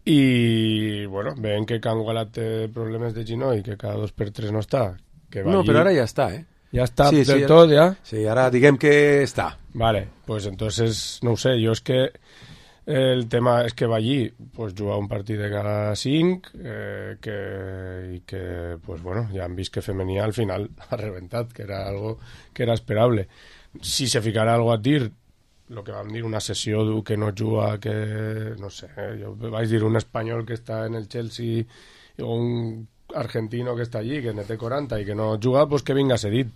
i bueno, veiem que Canguala té problemes de genoll i que cada 2 per 3 no està. No, però ara ja està, Ja està del tot, ja? Sí, ara diguem que està. Vale, pues entonces, no ho sé, jo és que el tema és que Ballí pues, juga un partit de cada 5 i que pues, bueno, ja han vist que femení al final ha reventat, que era algo que era esperable. Si se ficarà algo a dir, lo que vam dir, una sessió que no juga, que no sé, jo vaig dir un espanyol que està en el Chelsea o un argentino que està allí, que ne té 40 i que no juga, pues que vinga cedit.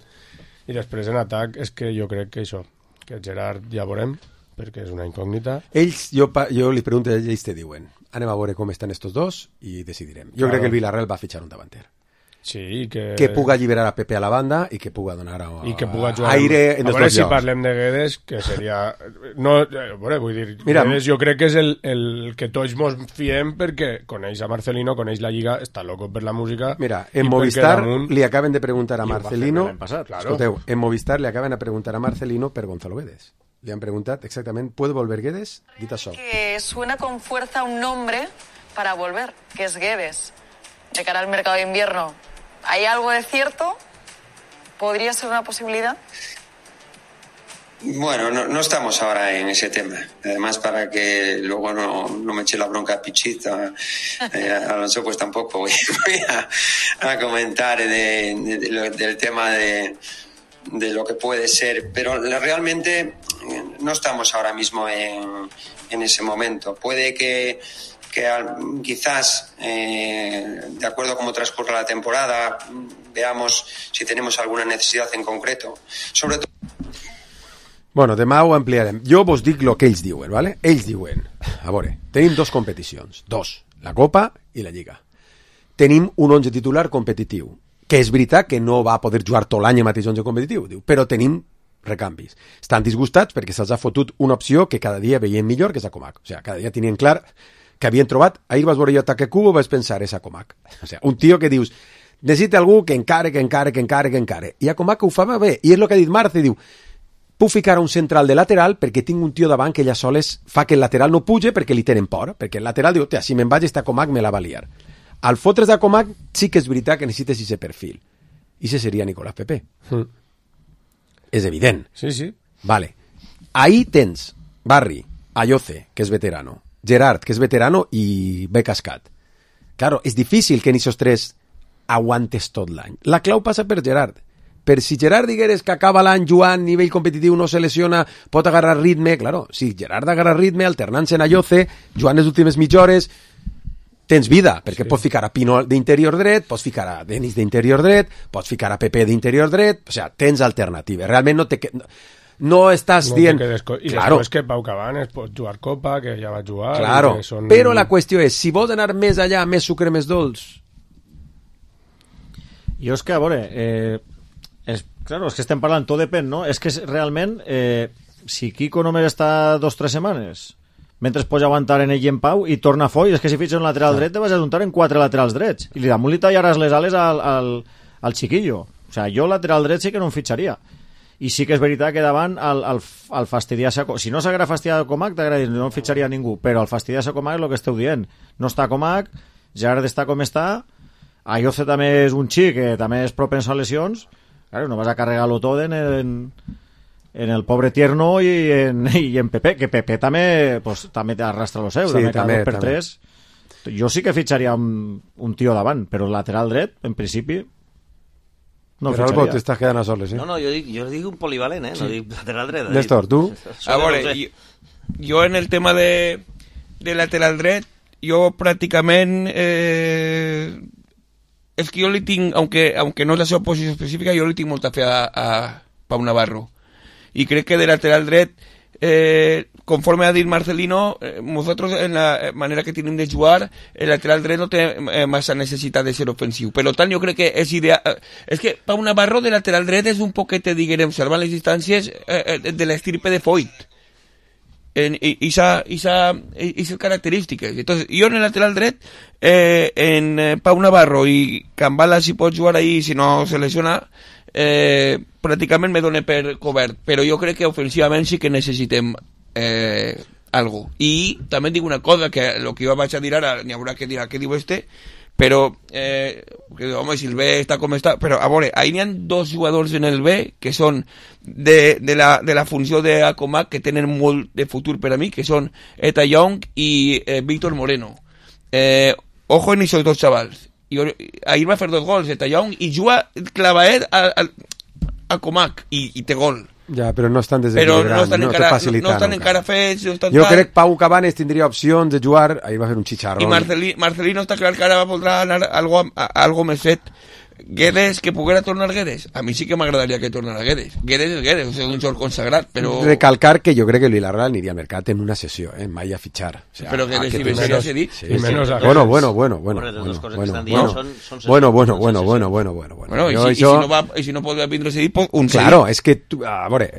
I després en atac és que jo crec que això, que Gerard ja veurem, perquè és una incògnita. Ells, jo li pregunto, ells te diuen, anem a veure com estan estos dos i decidirem. Jo crec que el Villarreal va fitxar un davanter. Sí, que puga alliberar a Pepe a la banda i que puga donar aire en a veure si parlem de Guedes, que seria no, vull dir, mira, Guedes jo crec que és el que tots mos fiem perquè coneix a Marcelino, coneix la Lliga, està loco per la música. Mira, en Movistar li acaben de preguntar a Marcelino, escolteu, en Movistar li acaben de preguntar a Marcelino per Gonzalo Guedes. Le han preguntat exactament, ¿puede volver Guedes? Dit això. Que suena con fuerza un nombre para volver, que es Guedes, de cara al mercado de invierno. ¿Hay algo de cierto? ¿Podría ser una posibilidad? Bueno, no estamos ahora en ese tema. Además, para que luego no me eche la bronca a Pichita, Alonso, pues tampoco voy a comentar del tema de lo que puede ser. Pero realmente no estamos ahora mismo en ese momento. Puede que quizás, de acuerdo a cómo transcurra la temporada, veamos si tenemos alguna necesidad en concreto. Sobre todo... Bueno, demà ho ampliarem. Jo vos dic el que ells diuen, ¿vale? Ells diuen, a veure, tenim dos competicions, la Copa i la Lliga. Tenim un 11 titular competitiu, que és veritat que no va poder jugar tot l'any el mateix 11 competitiu, diu, però tenim recanvis. Estan disgustats perquè se'ls ha fotut una opció que cada dia veiem millor, que és Acomac. O sigui, cada dia tenien clar que havien trobat, ahir vas veure jo ataque Cubo, vas pensar, és Acomac. O sigui, un tio que dius, necessita algú que encare. I Acomac ho fa bé, i és el que ha dit Marce, diu, puc ficar un central de lateral perquè tinc un tio davant que ella soles fa que el lateral no puge perquè li tenen por, perquè el lateral diu, si me'n vaig esta Comac me la va liar. Al fotres de Comac sí que és veritat que necessites ese perfil. I ese seria Nicolás Pepe. És evident. Sí. Vale. Ahí tens Barri, Ayoce, que és veterano, Gerard, que és veterano, i Becascat. Claro, és difícil que en esos tres aguantes tot l'any. La clau passa per Gerard. Per si Gerard digueres que acaba l'any jugant, nivell competitiu, no se lesiona, pot agarrar ritme, claro, si Gerard agarra ritme, alternant-se en Ayoce, jugant les últimes mitja hores, tens vida, perquè pots ficar a Pino d'interior dret, pots ficar a Denis d'interior dret, pots ficar a Pepe d'interior dret, o sea, tens alternatives. Realment no estàs dient... I després que Pau Cabanes pot jugar Copa, que ja va jugar... Claro, però la qüestió és, si vols anar més allà, més sucre, més dolç... Jo és que, a veure... Claro, és que estem parlant, tot depèn, no? És que realment, si Kiko només està 2 o 3 setmanes, mentre es pot aguantar en ell i en Pau, i torna a Foy, és que si fitxes un lateral dret te vas a juntar en 4 laterals drets, i damunt li tallaràs les ales al chiquillo. O sea, jo lateral dret sí que no em fitxaria. I sí que és veritat que davant el fastidiar-se... Si no s'agrada fastidiar a Comac, t'agrada, no em fitxaria ningú, però el fastidiar-se a Comac és el que esteu dient. No està Comac, Gerard està com està, Ayoce també és un xic que també és propens a lesions. Claro, no vas a carregar-lo tot en el pobre Tierno i en Pepe, que Pepe també arrastra lo seu, sí, també per 3. Jo sí que fitxaria un tio davant, però el lateral dret, en principi, no el fitxaria. Però el t'estàs quedant a soles, No, jo dic un polivalent, no dic lateral dret. Néstor, tu? A veure, jo en el tema de lateral dret, jo pràcticament... és que jo li tinc, aunque no és la seva posició específica, jo li tinc molta fe a Pau Navarro. I crec que de lateral dret, conforme ha dit Marcelino, nosotros en la manera que tenim de jugar, el lateral dret no té massa necessitat de ser ofensiu. Per tant, jo crec que és ideal... És que Pau Navarro de lateral dret és un poquet, diguem, salvant les distàncies de l'estirpe de Foyt. Y esas características. Entonces, yo en el lateral dret, en Pau Navarro y Cambala, si pot jugar ahí, si no se lesiona, pràcticament me dona per cobert. Però jo crec que ofensivament sí que necessitem algo. I també dic una cosa, que el que jo vaig a dir ara, n'hi haurà que dir què diu però home, si el B està com està, però a veure, ahí n'hi ha 2 jugadors en el B que són de la funció de Acomac, que tenen molt de futur per a mi, que són Eta Young i Víctor Moreno. Ojo en esos 2 xavals. Ahir va fer 2 gols Eta Young i juga clavaet a Comac i té gol. Ja, però no estan desequilibrant, no estan facilitant. No estan encara fets. Jo crec que Pau Cabanes tindria opcions de jugar, ahir va fer un xicharrón. I Marcelino està clar que ara voldrà anar algo més fet. Guedes, que poguera tornar Guedes. A mi sí que m'agradaria que tornara Guedes. Guedes és Guedes, és un xor consagrat, però... Recalcar que jo crec que Vilarreal aniria al mercat en una sessió, mai a fitxar. O sea, però Guedes i Vilarreal s'ha dit. Sí. Bueno. I si no pot vindre s'ha dit, un sí. Claro, és que... A veure...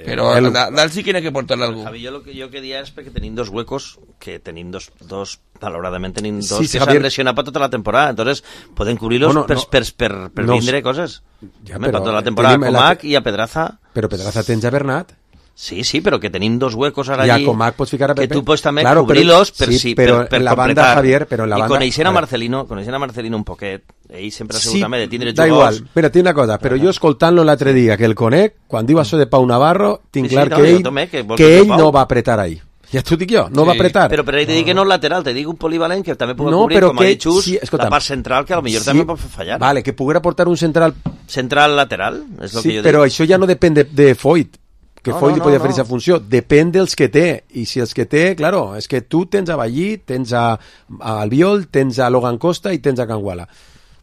Però dalt sí que n'hi ha que portar algú. Javi, jo que dia és perquè tenim 2 huecos, que tenim dos malauradament tenim 2 que s'han lesionat per tota la temporada, entonces poden cobrir-los per vindre coses. Ja, per tota la temporada a Comac i a Pedraza. Però Pedraza tens a Bernat. Sí, però que tenim dos huecos ara I a allí Comac pots ficar a Pepe. que tu pots també Claro, cobrir-los sí, per la banda, completar. Javier, però en la banda... I coneixent a Marcelino un poquet, ell sempre ha sigut també de tindre da jugadors. igual, mira, tinc una cosa, però jo escoltant-lo l'altre dia, que el conec, quan diu això de Pau Navarro, tinc clar que ell no va apretar ahí. Ja t'ho dic jo, no va apretar. Però per ahí te dic que no és lateral, te dic un polivalent que també pugui cobrir, com ha dit Xus, la part central, que potser també pot fallar. Vale, que poguera portar un central... Central lateral, és el que jo dic. Però això ja no depèn de Foyt, que Foyt li podia fer aquesta funció, depèn dels que té, i si els que té, claro, és que tu tens a Ballí, tens a Albiol, tens a Logan Costa i tens a Canguala.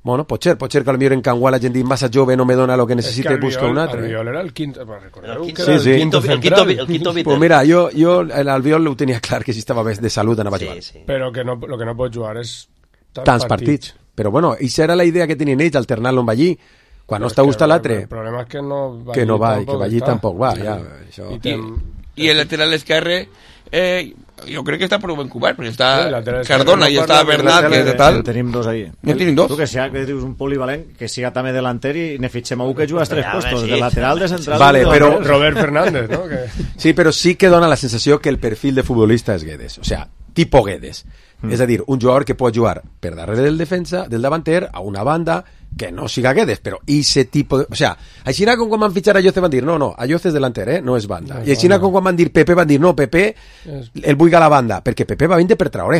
Bueno, pot ser que potser en Canguala gent dit massa jove no me dona lo que necessita i busca un altre. Albiol era el quinto, recordeu que era el quinto central. El quinto pues mira, jo l'Albiol ho tenia clar que si estava bé de salut anava a jugar. Però que no, lo que no pot jugar és tants partits. Però bueno, això era la idea que tenien ells, alternar-lo amb Ballí. Quan no està gustat l'altre... El problema és que no va, que Ballí tampoc va. Ja, això. I el lateral esquerre... jo crec que està prou ben cobert, perquè està Cardona i està Bernat, que tal. Tenim dos ahí. Tenim dos. Tu que dius un polivalent, que siga també delanter i ne fitxem a un que juga als tres puestos, de lateral, de central... Vale, però... Robert Fernández, ¿no? Sí, però sí que dona la sensació que el perfil de futbolista és Guedes, o sea, tipo Guedes. És a dir, un jugador que pot jugar per darrere del defensa, del davanter, a una banda, que no siga Guedes, però ese tipo de... O sea, així com quan van fitxar a Yoce van dir, no, a Yoce és delanter, no és banda. I així com quan van dir Pepe van dir, no, Pepe el vull a la banda, perquè Pepe va vindre per Traoré.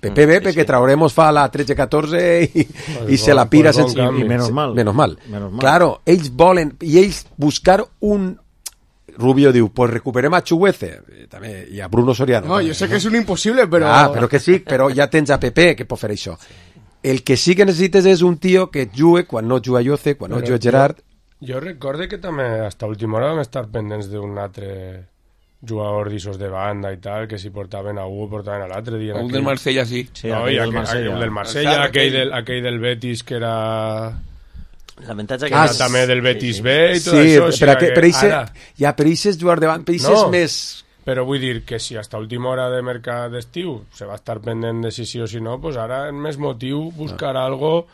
Pepe ve perquè Traoré mos fa la 13-14 i se la pira sense... I menos mal. Claro, ells volen, i ells buscar un... Rubio diu, pues recuperem a Chuguece també, i a Bruno Soriano. No, jo sé que és un impossible, però... però que sí, però ja tens a Pepe que pot fer això. El que sí que necessites és un tio que jugue quan no juga Yoce, quan no juga Gerard. Jo recorde que també hasta última hora vam estar pendents d'un altre jugador d'issos de banda i tal, que si portaven a un portaven a l'altre dia. El del Marsella, sí. No, i el del Marsella, aquell del Betis que era... L'avantatge que era també del Betis B i tot això. Sí, per això és jugar davant, per això és més... Però vull dir que si hasta última hora de mercat d'estiu se va estar pendent de si sí o si no, pues ara és més motiu buscar algo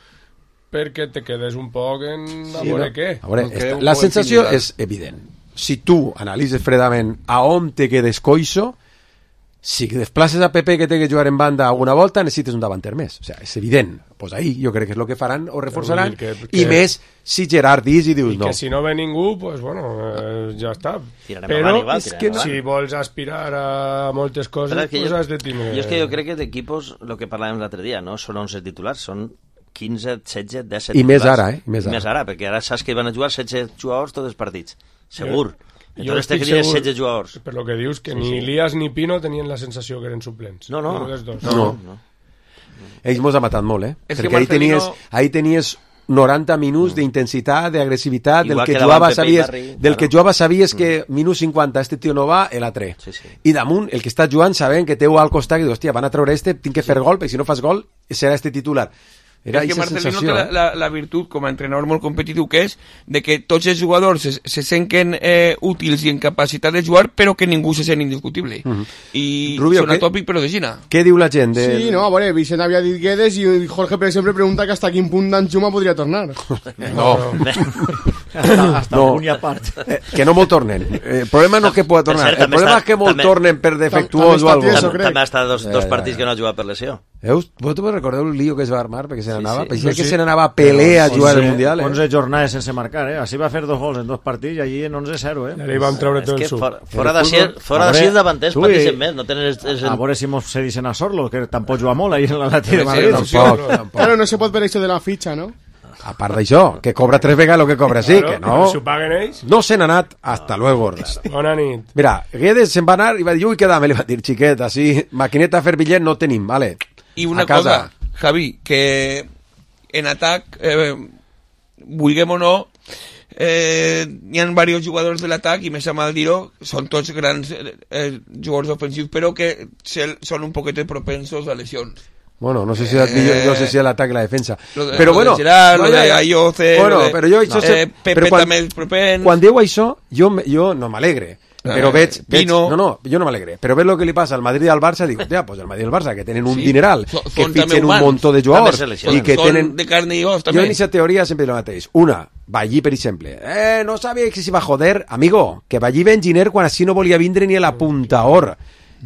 perquè te quedes un poc en a veure què. A veure, la sensació és evident. Si tu analitzes fredament a on te quedes coixo, si desplaces a Pepe que té que jugar en banda alguna volta, necessites un davanter més. O sea, és evident. Pues ahí jo crec que és el que faran o reforçaran. I més si Gerard dius i dius no. Que si no ve ningú, pues bueno, ja està. Però si vols aspirar a moltes coses, pues has de tindre... Jo és que jo crec que d'equipos, el que parlàvem l'altre dia, no són 11 titulars, són 15, 16, 17 titulars. I més ara, I més ara, perquè ara saps que van a jugar 16 jugadors tots els partits. Segur. Jo estic segur, 16 jugadors. Per lo que dius, que ni Elias ni Pino tenien la sensació que eren suplents. No. Ells mos ha matat molt, perquè ahí tenies 90 minuts d'intensitat, d'agressivitat, del que jugava sabies que minut 50 este tio no va, l'altre. I damunt, el que està jugant sabent que té al costat i dius, hòstia, van a treure tinc que fer gol, perquè si no fas gol serà este titular. Era és que Marcelino té la virtut, com a entrenador molt competitiu que és, de que tots els jugadors se senten útils i en capacitat de jugar, però que ningú se sent indiscutible. I són atòpic, però de Gina. Què diu la gent? Sí, no, a veure, Vicent havia dit Guedes i Jorge, per exemple, pregunta que hasta quin punt Danjuma podria tornar. No. Hasta un i a part. Que no molt tornen. El problema no és que pugui tornar. El problema és que molt tornen per defectuós o alguna cosa. També ha estat dos partits que no ha jugat per lesió. Vosaltres recordeu el lío que es va armar perquè se n'anava? Pensava que se n'anava a Pelé a jugar al Mundial. 11 jornades sense marcar, Així va fer 2 gols en 2 partits i allí en 11-0, I allà van treure tot el suc. Fora de 6 davanters pateixen més, no tenen... A veure si mos cedixen a Sorlo, que tampoc juga molt ahí en l'Atlètic de Madrid. Tampoc. Claro, no se pot per això de la fitxa, no? A part d'això, que cobra 3 vegades el que cobra, sí, que no. Si ho paguen ells. No se n'ha anat, hasta luego. Bona nit. Mira, Guedes se'n va anar i va dir, ui, quedame, li va dir, xiquet, així, maquineta a fer bitllet no tenim, vale. I una cosa, Javi, que en atac, vulguem o no, hi ha diversos jugadors de l'atac, i més a mal dir-ho, són tots grans jugadors ofensius, però que són un poquet propensos a lesions. Bueno, no sé si l'atac i la defensa. Però bueno... Lo de Ayoce, però jo això... Pepe també és propens... Quan diu això, jo no m'alegre. Però veig jo no m'alegre, però veig el que li passa al Madrid i al Barça, dic, ja, pues el Madrid i el Barça, que tenen un dineral, que fitxen un muntó de jugadors, i que tenen... de carne i os, també. Jo en aquesta teoria sempre dic el mateix. Una, Ballí, per exemple. No sabia que s'hi va joder. Amigo, que Ballí ve enginyer quan així no volia vindre ni a la puntaor.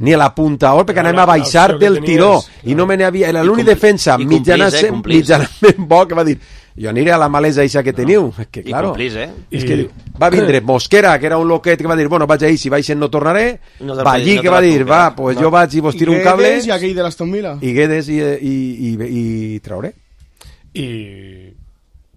Ni a la puntaor, perquè anem a baixar del tiró. I no me n'havia... L'únic defensa mitjanament bo que va dir jo aniré a la malesa eixa que teniu. Que, claro, és que va vindre Mosquera, que era un loquet que va dir, bueno, vaig ahí, si baixen no tornaré. Ballí, que va dir, va, pues jo vaig i vos tiro un cable. I aquell de l'Aston Villa. I Guedes i trauré. I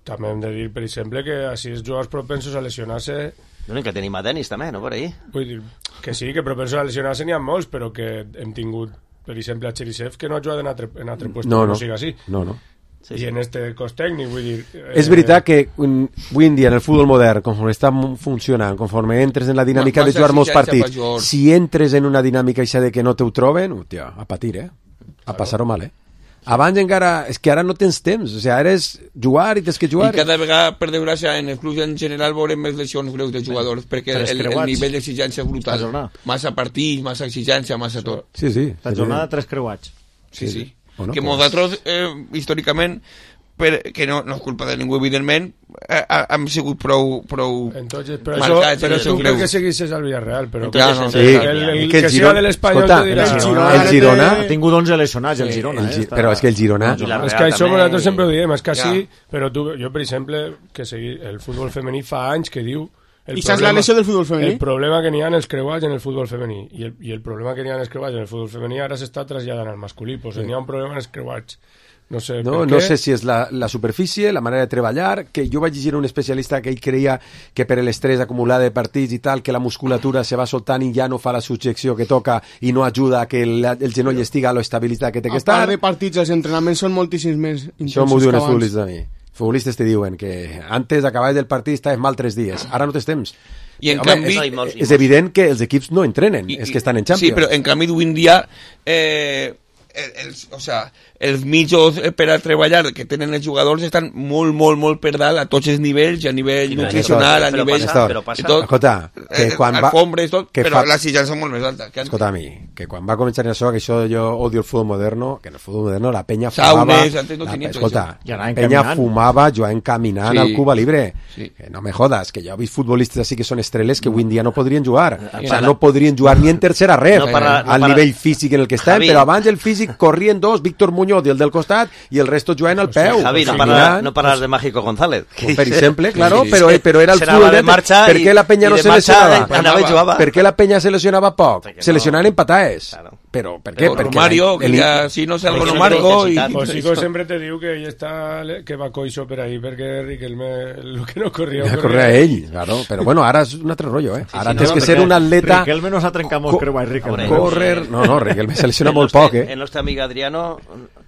també hem de dir, per exemple, que així els jugadors propensos a lesionar-se... No, que tenim a Denis també, no, per ahí? Vull dir, que sí, que propensos a lesionar-se n'hi ha molts, però que hem tingut, per exemple, a Cherisev, que no ha jugat en altre puesto, no siga així. No. Sí, I en este cos tècnic, vull dir... És veritat que avui en dia en el futbol modern, conforme està funcionant, conforme entres en la dinàmica de jugar molts partits, si entres en una dinàmica eixa de que no te ho troben, hòstia, a patir, a passar-ho mal, Abans encara... És que ara no tens temps, o sigui, ara és jugar i tens que jugar. I cada vegada, per desgràcia, en els clubs en general veurem més lesions greus de jugadors, perquè el nivell d'exigència és brutal. Massa partits, massa exigència, massa tot. Sí. La jornada 3 creuats. Sí. Bueno, que nosaltres, històricament, que no és culpa de ningú, evidentment, hem sigut prou entonces, marcats. Però tu perquè seguissis al Villarreal, però el que siga de l'Espanyol te dirà el Girona ha tingut 11 lesionats, el Girona. Però és que el Girona... És que això nosaltres sempre ho diem, és que sí, però jo, per exemple, que el futbol femení fa anys que diu I saps la lesió del futbol femení? El problema que n'hi ha en els creuats en el futbol femení i el problema que n'hi ha en els creuats en el futbol femení ara s'està traslladant al masculí, pues n'hi ha un problema en els creuats. No sé si és la superfície, la manera de treballar, que jo vaig llegir un especialista que ell creia que per l'estrès acumulat de partits i tal, que la musculatura se va soltant i ja no fa la subjecció que toca i no ajuda a que el genoll estigui a l'estabilitat que té que estar. A part de partits, els entrenaments són moltíssims més intensos. Això m'ho diuen els futbolistes a mi. Futbolistes te diuen que antes d'acabar del partit estaves mal 3 dies, ara no tens temps. I en canvi... És evident que els equips no entrenen, és que estan en Champions. Sí, però en canvi d'avui en dia... els mitjos per a treballar que tenen els jugadors estan molt per dalt a tots els nivells, a nivell nutricional, a nivell... Escolta, que quan va... Però la exigència és molt més alta. Escolta, a mi, que quan va començar això, que això jo odio el futbol moderno, que en el futbol moderno la penya fumava... Escolta, la penya fumava jugant caminant al Cuba Libre. No me jodas, que jo he vist futbolistes així que són estreles que avui en dia no podrien jugar. O sigui, no podrien jugar ni en tercera ref, al nivell físic en el que estan, però abans el físic corrien dos, Víctor Muñoz i el del costat, i el resto jugant al peu. Javi, no parles de Mágico González. Per exemple, claro, però era el futbol. Per què la penya no se lesionava? Per què la penya se lesionava poc? Se lesionaven en patades. Però per què? Perquè Mario, que ja, si no sé algo no Marco... Josico sempre te diu que ell està... que va coixo per ahí, perquè Riquelme el que no corria... Ja corria ell, claro. Però bueno, ara és un altre rotllo, Ara tens que ser un atleta... Riquelme no s'ha trencat molt creuat, Riquelme. Correr... No, Riquelme se lesiona molt poc, El nostre amic Adriano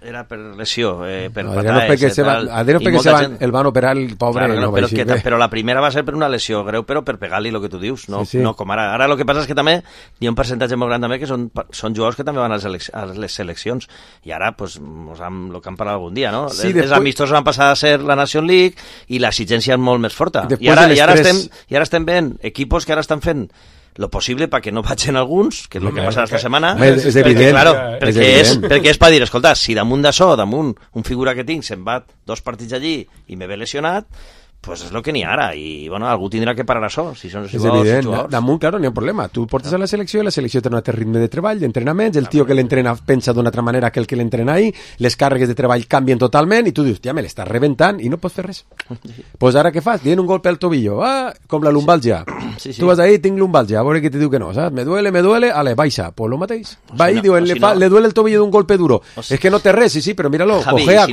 era per lesió, per patades... Adriano perquè el van operar el pobre... Però la primera va ser per una lesió greu, però per pegar-li el que tu dius, no com ara. Ara el que passa és que també hi ha un percentatge molt gran també que són jugadors que també van a les seleccions i ara pues, el que hem parlat algun dia, no? Sí, els amistosos van passar a ser la Nation League i l'exigència és molt més forta i ara estem veient equipos que ara estan fent lo possible perquè no vagin alguns, que és el que passa esta setmana, és evident, perquè és per dir, escolta, si damunt d'això, damunt un figura que tinc se'n va 2 partits allí i me ve lesionat, pues és el que n'hi ha ara, i bueno, algú tindrà que parar això, si són els jugadors. És evident, damunt, claro, n'hi ha un problema. Tu portes a la selecció i la selecció té un altre ritme de treball, d'entrenaments, el tio que l'entrena pensa d'una altra manera que el que l'entrena ahí, les càrregues de treball canvien totalment i tu dius, tia, me l'estàs rebentant i no pots fer res. Pues ara què fas? Dient un golpe al tobillo, com la lumbalgia. Tu vas ahí, tinc lumbalgia, a veure què te diu que no, saps? Me duele, ale, baixa, pues lo mateix. Va ahí, diu, le duele el tobillo d'un golpe duro. És que no té res, sí, però míralo, cojea.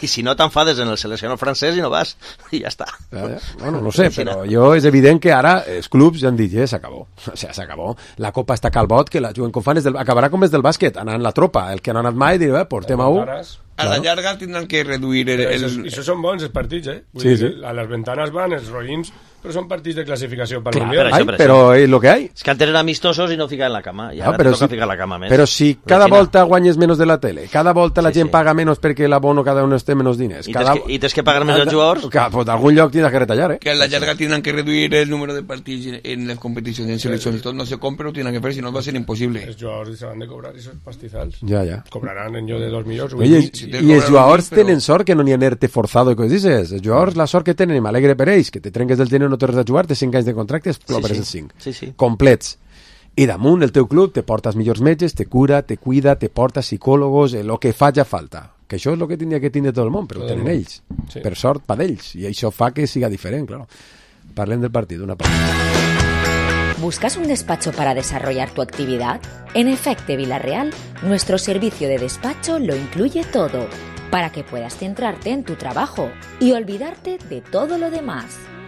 I si no t'enfades en el seleccionador francès i no vas, i ja està. Bueno, no sé, però jo és evident que ara els clubs ja han dit, s'acabó. O sigui, s'acabó. La copa està calbot, que la juguen com fan, acabarà com és del bàsquet, anant la tropa. El que no ha anat mai dirà, portem a un... A la llarga tindran que reduir I això són bons els partits, Vull dir, a les ventanes van els roïns, Però són partits de classificació per Mundial. Però és el que hay. És que antes eren amistosos i no ficaven la cama. I ara toca ficar la cama més. Però si cada volta guanyes menys de la tele, cada volta la gent paga menys perquè l'abono cada un té menys diners. I tens que pagar més als jugadors? Pues d'algun lloc tienes que retallar, Que a la llarga tindran que reduir el número de partits en les competicions, en seleccions. Tot no se compra, ho tenen que fer, si no va ser impossible. Els jugadors se van de cobrar esos pastizals. Ja. Cobraran en jo de 2 milions. I els jugadors tenen sort que no n'hi ha nerte forzado i coses dices. Els jugadors la sort que tenen, i m'alegre per ells, que te trenques del gener no tornes a jugar, té 5 anys de contracte, es cobres els 5. Complets. I damunt el teu club te porta els millors metges, te cura, te cuida, te porta psicòlogos, el que faci falta. Que això és el que tindria que tindre tot el món, però ho tenen ells. Per sort, per ells. I això fa que siga diferent, claro. Parlem del partit, una part. ¿Buscas un despacho para desarrollar tu actividad? En Efecte Villarreal, nuestro servicio de despacho lo incluye todo, para que puedas centrarte en tu trabajo y olvidarte de todo lo demás.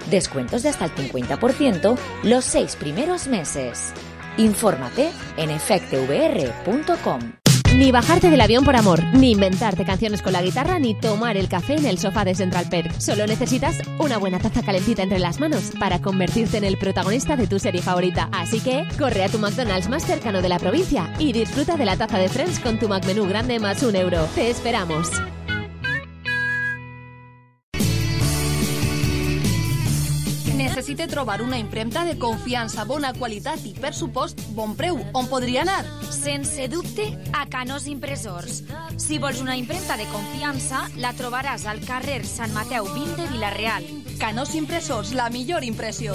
Descuentos de hasta el 50% los 6 primeros meses. Infórmate en efectevr.com. Ni bajarte del avión por amor, ni inventarte canciones con la guitarra, ni tomar el café en el sofá de Central Perk. Solo necesitas una buena taza calentita entre las manos para convertirte en el protagonista de tu serie favorita. Así que corre a tu McDonald's más cercano de la provincia y disfruta de la taza de Friends con tu McMenú grande más €1. Te esperamos. Necessite trobar una impremta de confiança, bona qualitat i, per supost, bon preu. On podria anar? Sense dubte, a Canós Impressors. Si vols una impremta de confiança, la trobaràs al carrer Sant Mateu 20 de Vila-real. Canós Impressors, la millor impressió.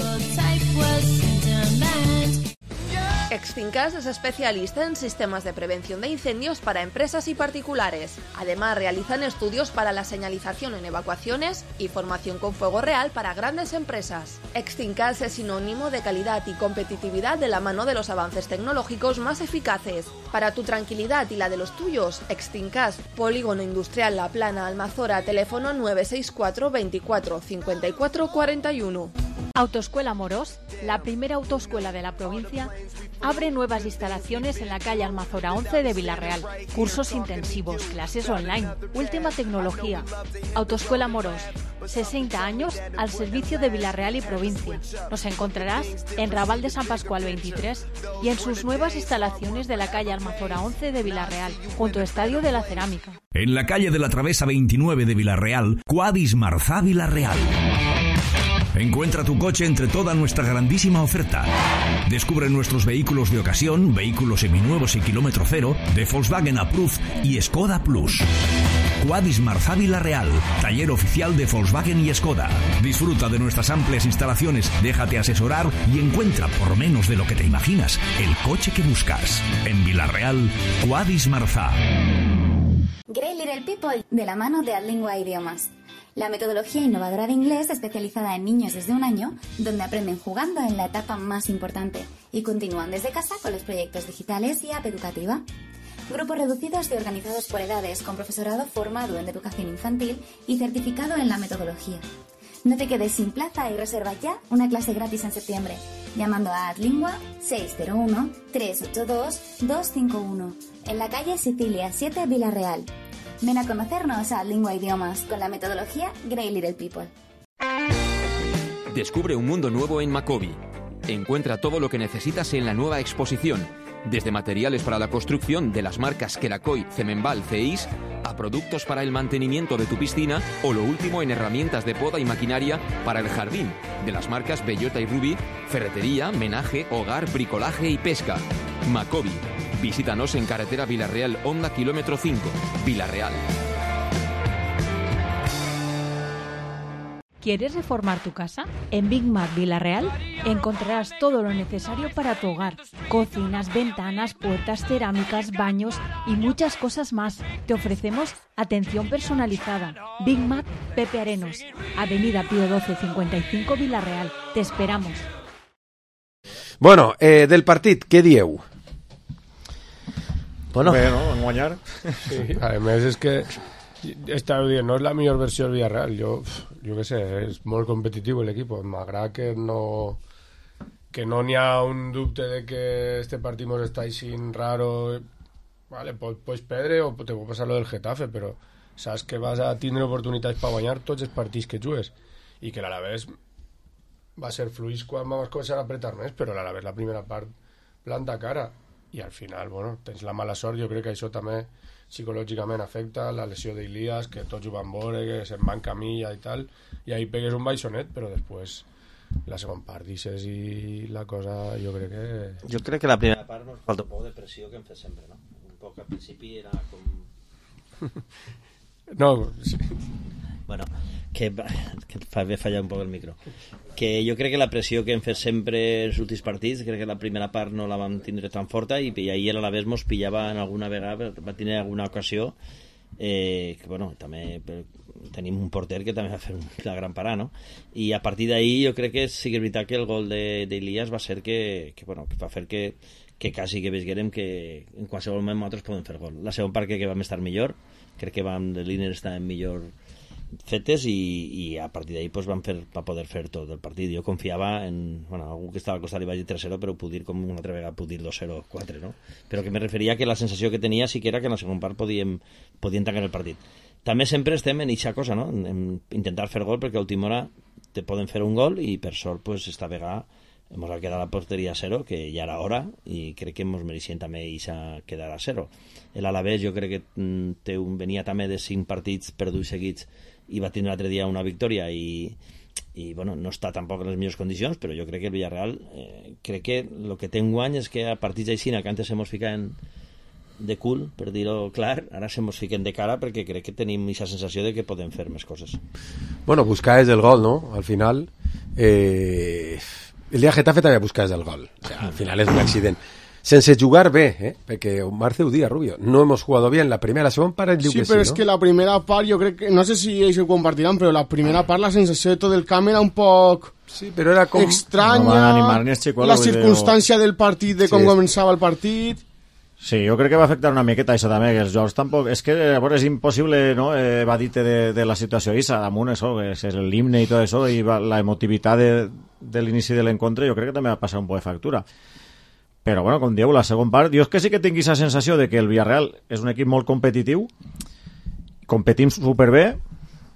Extincas es especialista en sistemas de prevención de incendios para empresas y particulares. Además, realizan estudios para la señalización en evacuaciones y formación con fuego real para grandes empresas. Extincas es sinónimo de calidad y competitividad de la mano de los avances tecnológicos más eficaces. Para tu tranquilidad y la de los tuyos, Extincas, Polígono Industrial La Plana, Almazora, teléfono 964 24 54 41. Autoescuela Morós, la primera autoescuela de la provincia, abre nuevas instalaciones en la calle Almazora 11 de Vila-real. Cursos intensivos, clases online, última tecnología. Autoescuela Morós, 60 años al servicio de Vila-real y provincia. Nos encontrarás en Raval de San Pascual 23 y en sus nuevas instalaciones de la calle Almazora 11 de Vila-real, junto al Estadio de la Cerámica. En la calle de la Travesa 29 de Vila-real, Quadis Marzá Vila-real. Encuentra tu coche entre toda nuestra grandísima oferta. Descubre nuestros vehículos de ocasión, vehículos seminuevos y kilómetro cero, de Volkswagen Approved y Skoda Plus. Quadis Marzá Vila-real, taller oficial de Volkswagen y Skoda. Disfruta de nuestras amplias instalaciones, déjate asesorar y encuentra, por menos de lo que te imaginas, el coche que buscas. En Vila-real, Quadis Marzá. Great Little People, de la mano de Adlingua Idiomas. La metodología innovadora de inglés especializada en niños desde 1 año, donde aprenden jugando en la etapa más importante y continúan desde casa con los proyectos digitales y app educativa. Grupos reducidos y organizados por edades, con profesorado formado en educación infantil y certificado en la metodología. No te quedes sin plaza y reserva ya una clase gratis en septiembre, llamando a Adlingua 601-382-251, en la calle Sicilia 7, Vila-real. Ven a conocernos a Lingua Idiomas con la metodología Great Little People. Descubre un mundo nuevo en Macobi. Encuentra todo lo que necesitas en la nueva exposición, desde materiales para la construcción de las marcas Kerakoy, Cemenbal, CEIS, a productos para el mantenimiento de tu piscina o lo último en herramientas de poda y maquinaria para el jardín, de las marcas Bellota y Ruby, ferretería, menaje, hogar, bricolaje y pesca. Macobi. Visítanos en carretera Vila-real, Honda, kilómetro 5, Vila-real. ¿Quieres reformar tu casa? En Big Mac Vila-real encontrarás todo lo necesario para tu hogar. Cocinas, ventanas, puertas, cerámicas, baños y muchas cosas más. Te ofrecemos atención personalizada. Big Mac Pepe Arenos, Avenida Pío 12 55 Vila-real. Te esperamos. Bueno, del partit, què dieu? Bueno, en guanyar. Sí, a més és que estava dient, no és la millor versió del Villarreal. Jo què sé, és molt competitiu l'equip. M'agrada que no n'hi ha un dubte de que este partit mos està aixint raro. Vale, pots perdre o te pot passar lo del Getafe, però saps que vas a tindre oportunitats per guanyar tots els partits que jugues i que l'Alavés va ser fluix quan vam començar a apretar més, però a la vez la primera part planta cara, i al final, bueno, tens la mala sort. Jo crec que això també psicològicament afecta, la lesió d'Ilias, que tots ho van veure, que se'n va en camilla i tal, i ahí pegues un baixonet, però després la segona part dices i la cosa, jo crec que... Jo crec que la primera part nos falta un poc de pressió que hem fet sempre, no? Un poc al principi era com... No, sí. Bueno, que fa bé fallar un poc el micro. Que jo crec que la pressió que hem fet sempre en els últims partits, crec que la primera part no la vam tindre tan forta i ahir a la vegada mos pillava en alguna vegada, va tenir alguna ocasió que, bueno, també tenim un porter que també va fer la gran parada, no? I a partir d'ahir jo crec que sí que és veritat que el gol d'Ilias va ser que bueno, que va fer que quasi que veiguérem que en qualsevol moment nosaltres podem fer gol. La segona part que vam estar millor, crec que les línies estaven millor fetes i a partir d'ahir pues, va poder fer tot el partit. Jo confiava en... Bueno, algú que estava al costat li va dir 3-0, però puc dir com una altra vegada puc dir 2-0, 4, no? Però que me referia que la sensació que tenia sí que era que en la segona part podíem tancar el partit. També sempre estem en eixa cosa, no? En intentar fer gol, perquè a última hora te poden fer un gol i per sort pues, esta vegada ens ha quedat la porteria a 0, que ja era hora, i crec que ens mereixien també quedar a 0. L'Alavés jo crec que venia també de 5 partits perduts seguits i va tindre l'altre dia una victòria i bueno, no està tampoc en les millors condicions, però jo crec que el Villarreal crec que el que té un guany és que a partits d'aixina que antes se mos ficaven de cul, per dir-ho clar, ara se mos fiquen de cara perquè crec que tenim aquesta sensació de que podem fer més coses. Bueno, buscar és el gol, no? Al final el dia Getafe també buscar és el gol, o sea, al final és un accident sense jugar bé, perquè Marce ho dia, Rubio, no hemos jugado bien la primera, la segona part diu sí, que sí, però no? És que la primera part, jo crec que, no sé si ells ho compartiran, però la primera part la sensació de tot el camp era un poc sí, però era com... estranya, la circumstància del partit, de com començava el partit... Sí, jo crec que va afectar una miqueta això també, que els jocs tampoc... És que bueno, és impossible no, evadir-te de la situació aquesta, damunt això, és l'himne i tot això, i la emotivitat de l'inici de l'encontre, jo crec que també va passar un poc de factura. Però, bueno, com dieu, la segona part... Jo és que sí que tinc aquesta sensació de que el Villarreal és un equip molt competitiu, competim superbé,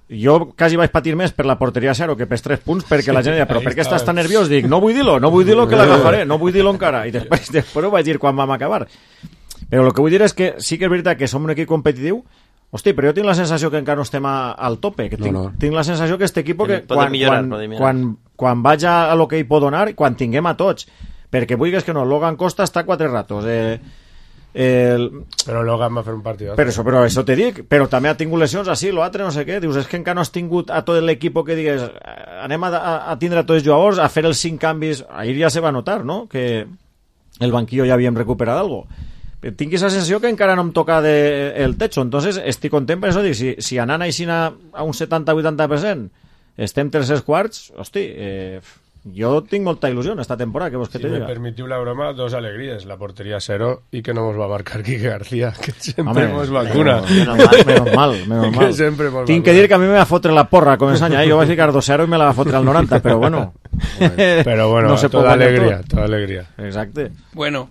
jo quasi vaig patir més per la porteria 0 que per 3 punts, perquè la gent deia, però per què estàs tan nerviós? Dic, no vull dir-lo que l'agafaré, no vull dir-lo encara. I després ho vaig dir quan vam acabar. Però el que vull dir és que sí que és veritat que som un equip competitiu, hosti, però jo tinc la sensació que encara no estem al tope, que tinc la sensació que este equip que quan vaig a lo que hi pot donar, quan tinguem a tots, perquè vulguis que no, Logan Costa està 4 ratos, però Logan va fer un partit però això te dic, però també ha tingut lesions així, l'altre no sé què, dius, és que encara no has tingut a tot l'equip que digues, anem a tindre a tots els jugadors, a fer els 5 canvis, ahir ja se va notar, no?, que el banquillo ja havíem recuperat algo. Tinc aquesta sensació que encara no em toca el techo, entonces estic content per això, dic, si anant així a un 70-80% estem tercers quarts, hosti, jo tinc molta il·lusió en esta temporada, que vos que te diga. Si me permitiu la broma, 2 alegries, la porteria 0 i que no mos va marcar Quique García, que sempre mos vacuna. Menos mal. Tinc que dir que a mi me va fotre la porra a començar any, jo vaig ficar 2-0 i me la va fotre al 90, però bueno. Però bueno, no toda alegría. Exacte. Bueno,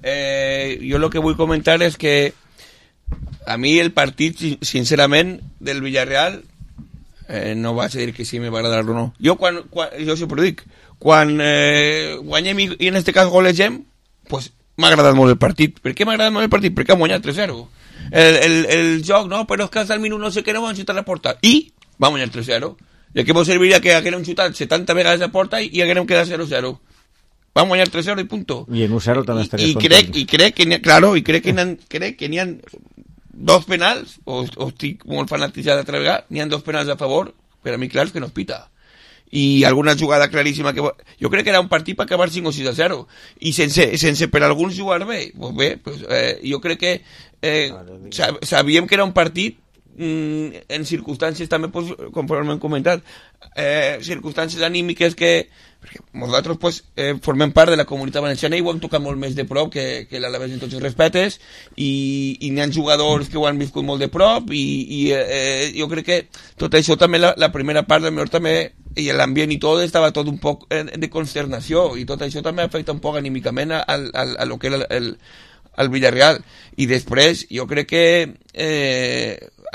yo lo que voy a comentar es que a mí el partido, sinceramente, del Villarreal, no vaig a dir que sí me va agradar o no. Jo sempre dic, quan guanyem i en este cas golegem, pues m'ha agradat molt el partit. Per què m'ha agradat molt el partit? Perquè hem guanyat 3-0. El joc, no, però és que al minut no sé què no van xutar la porta. I vam guanyar 3-0. I què mos serviria que haguérem xutat 70 vegades la porta i haguérem quedat 0-0. Vam guanyar 3-0 i punto. I en 1-0 també estaries content. I crec que n'hi ha 2 penals, o estic molt fanatitzat d'altra vegada, n'hi ha 2 penals a favor, per a mi clars que no es pita. I alguna jugada claríssima que... Jo crec que era un partit per acabar 5 o 6-0. I sense per alguns jugar bé, jo crec que sabíem que era un partit en circumstàncies també, conforme hem comentat, circumstàncies anímiques que perquè nosaltres formem part de la comunitat valenciana i ho hem tocat molt més de prop que l'Alavés en tots els respectes i n'hi ha jugadors que ho han viscut molt de prop i jo crec que tot això també la primera part del millor també i l'ambient i tot estava tot un poc de consternació i tot això també afecta un poc anímicament a lo que era el Villarreal i després jo crec que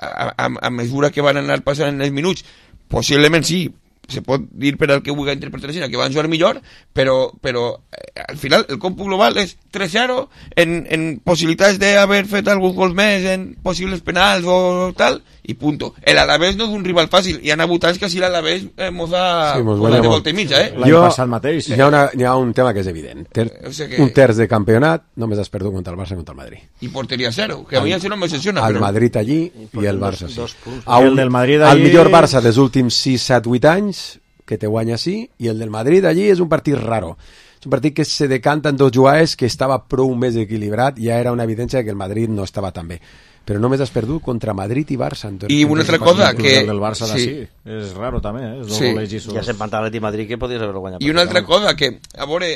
a mesura que van anar passant els minuts possiblement sí, se pot dir per al que vulgui interpretar així, que van jugar millor, però al final el còmput global és 3-0 en possibilitats d'haver fet alguns gols més, en possibles penals o tal, i punto. L'Alavés no és un rival fàcil, hi ha hagut anys que si l'Alavés mos ha de volta i mitja, L'any passat mateix. Hi ha un tema que és evident. Un terç de campionat només has perdut contra el Barça i contra el Madrid. I porteria 0, que a mi això no m'excepciona. El Madrid allí i el Barça sí. El del Madrid allí... El millor Barça dels últims 6, 7, 8 anys, que te guanya sí, i el del Madrid allí és un partit raro. És un partit que se decanta en dos jugades, que estava prou més equilibrat, ja era una evidència que el Madrid no estava tan bé. Però només has perdut contra Madrid i Barça. I una altra cosa que... El del Barça sí. És raro també, Sí. Ja se'n Pantalet i Madrid que podries haver guanyat. I una altra cosa que, a veure,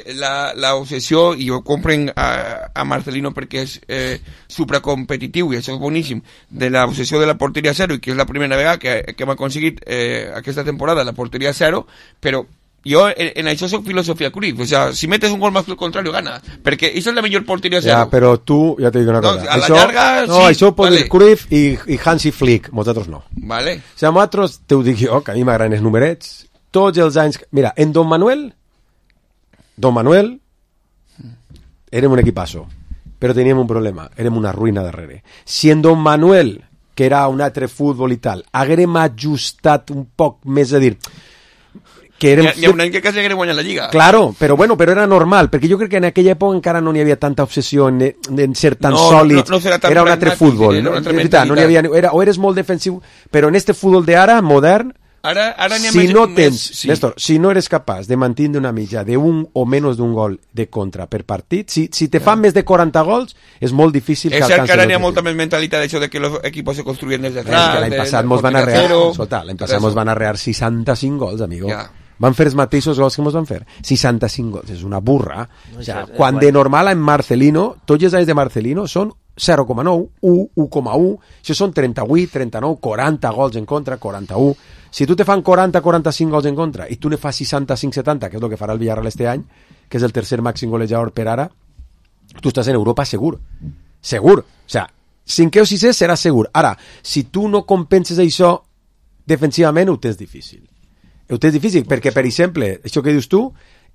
l'obsessió, i ho compren a Marcelino perquè és supracompetitiu, i això és boníssim, de l'obsessió de la porteria 0, i que és la primera vegada que hem aconseguit aquesta temporada la porteria 0, però jo en això soc filosofia Cruyff, o sea, si metes un gol más que el contrario gana, perquè això és la millor porteria 0. Ja, però tu, ja t'he dit una cosa, a la llarga, no, sí, això ho pot dir Cruyff i Hansi Flick, vosaltres no. Vale. O sigui, nosaltres, te ho dic jo, que a mi m'agraden els numerets, tots els anys... Mira, en Don Manuel érem un equipasso, però teníem un problema, érem una ruïna darrere. Si en Don Manuel, que era un altre futbol i tal, haguérem ajustat un poc més, a dir... Hi ha un any que quasi haguérem guanyat la Lliga. Claro, però era normal, perquè jo crec que en aquella època encara no hi havia tanta obsessió en ser tan sòlid, era un altre futbol, o eres molt defensiu, però en este futbol d'ara, modern, ara si no tens, Néstor, si no eres capaç de mantenir una mitja d'un o menys d'un gol de contra per partit, si te fan més de 40 gols, és molt difícil que alcanci. És cert que ara n'hi ha molta més mentalitat d'això de que els equips se construïen des de atrás. L'any passat mos van arrear 65 gols, amigo. Van fer els mateixos gols que ens van fer. 65 gols, és una burra. O sea, quan de normal en Marcelino, tots els anys de Marcelino són 0,9, 1,1, això són 38, 39, 40 gols en contra, 41. Si tu te fan 40, 45 gols en contra i tu ne fas 65, 70, que és el que farà el Villarreal este any, que és el tercer màxim golejador per ara, tu estàs en Europa segur. Segur. O sea, 5è o 6è serà segur. Ara, si tu no compenses això defensivament, ho tens difícil. Ho tens difícil, perquè, per exemple, això que dius tu,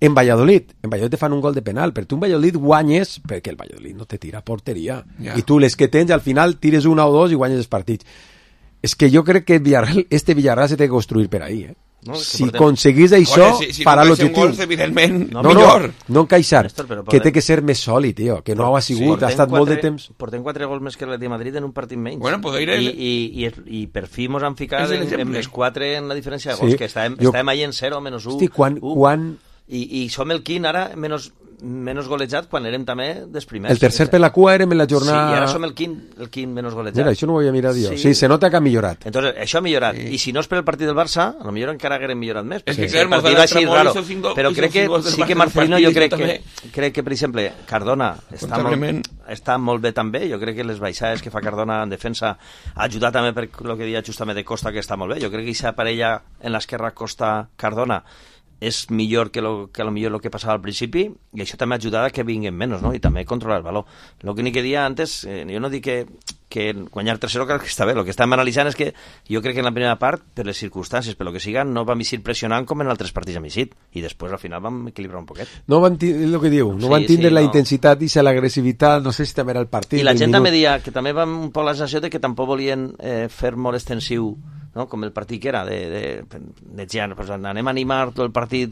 en Valladolid te fan un gol de penal, però tu en Valladolid guanyes, perquè el Valladolid no te tira a porteria, i tu les que tens, al final tires una o dos i guanyes els partits. És que jo crec que este Villarreal se té que construir per ahí, No, si aconseguís això, farà l'objectiu. No encaixar, que té que ser més sòlid, tio, que no ha sigut, ha estat molt de temps. Portem 4 gols més que l'Atlètic de Madrid en un partit menys. Bueno, I per fi mos han ficat en més 4 en la diferència de gols, que estàvem allà en 0, menys 1. Hosti, quan... I som el quint ara menys golejat quan érem també dels primers. El tercer per la cua érem en la jornada... Sí, i ara som el quint menys golejat. Mira, això no ho havia mirat jo. Sí, se nota que ha millorat. Entonces, això ha millorat. I si no és per el partit del Barça, a lo millor encara haguem millorat més. És que el partit va així raro. Però crec que sí que Marcelino, jo crec que, per exemple, Cardona està molt bé també. Jo crec que les baixades que fa Cardona en defensa ha ajudat també per el que deia justament de Costa, que està molt bé. Jo crec que aquesta parella en l'esquerra Costa-Cardona és millor que millor el que passava al principi, i això també ha ajudat a que vinguin menys, no? I també controlar el valor. El que ni que dia antes, jo no dic que guanyar 3-0 crec que està bé, el que estem analitzant és que jo crec que en la primera part, per les circumstàncies, per lo que siga, no vam eixir pressionant com en altres partits amb eixit, i després al final vam equilibrar un poquet. No van tindre el que diu, no van tindre la intensitat i l'agressivitat, no sé si també era el partit. I la gent també deia que també vam un poc la sensació de que tampoc volien fer molt extensiu, no? Com el partit que era de pues anem a animar tot el partit,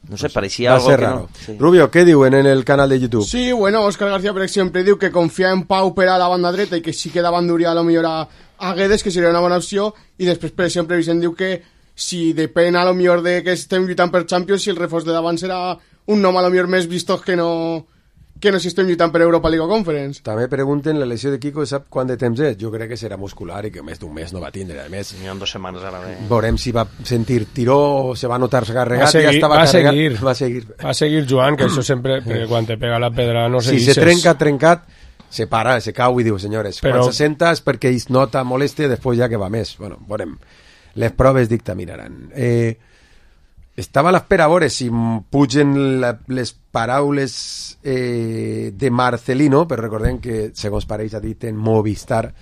no sé, pareixia algo que raro. No. Sí. Rubio, què diuen en el canal de YouTube? Sí, bueno, Óscar García, per exemple, diu que confia en Pau per a la banda dreta i que sí que davant duria a lo millor a Guedes, que seria una bona opció, i després, per exemple, Vicent diu que si depèn a lo millor de que estem lluitant per Champions, si el reforç de davant serà un nom a lo millor més vistós que no si estem lluitant per Europa League o Conference. També pregunten, la lesió de Kiko sap quant de temps és? Jo crec que serà muscular i que més d'un mes no va tindre. A més, n'hi ha 2 setmanes ara bé. Veurem si va sentir tiró o se va notar carregat. Va seguir jugant, que això sempre, perquè quan te pega la pedra no se si se trencat, se para, se cau i diu, senyores, quan se senta és perquè es nota molèstia, després ja que va més. Bueno, veurem. Les proves dictaminaran. Estava a l'espera a veure si pugen les paraules de Marcelino, però recordem que, segons pareix, ha dit en Movistar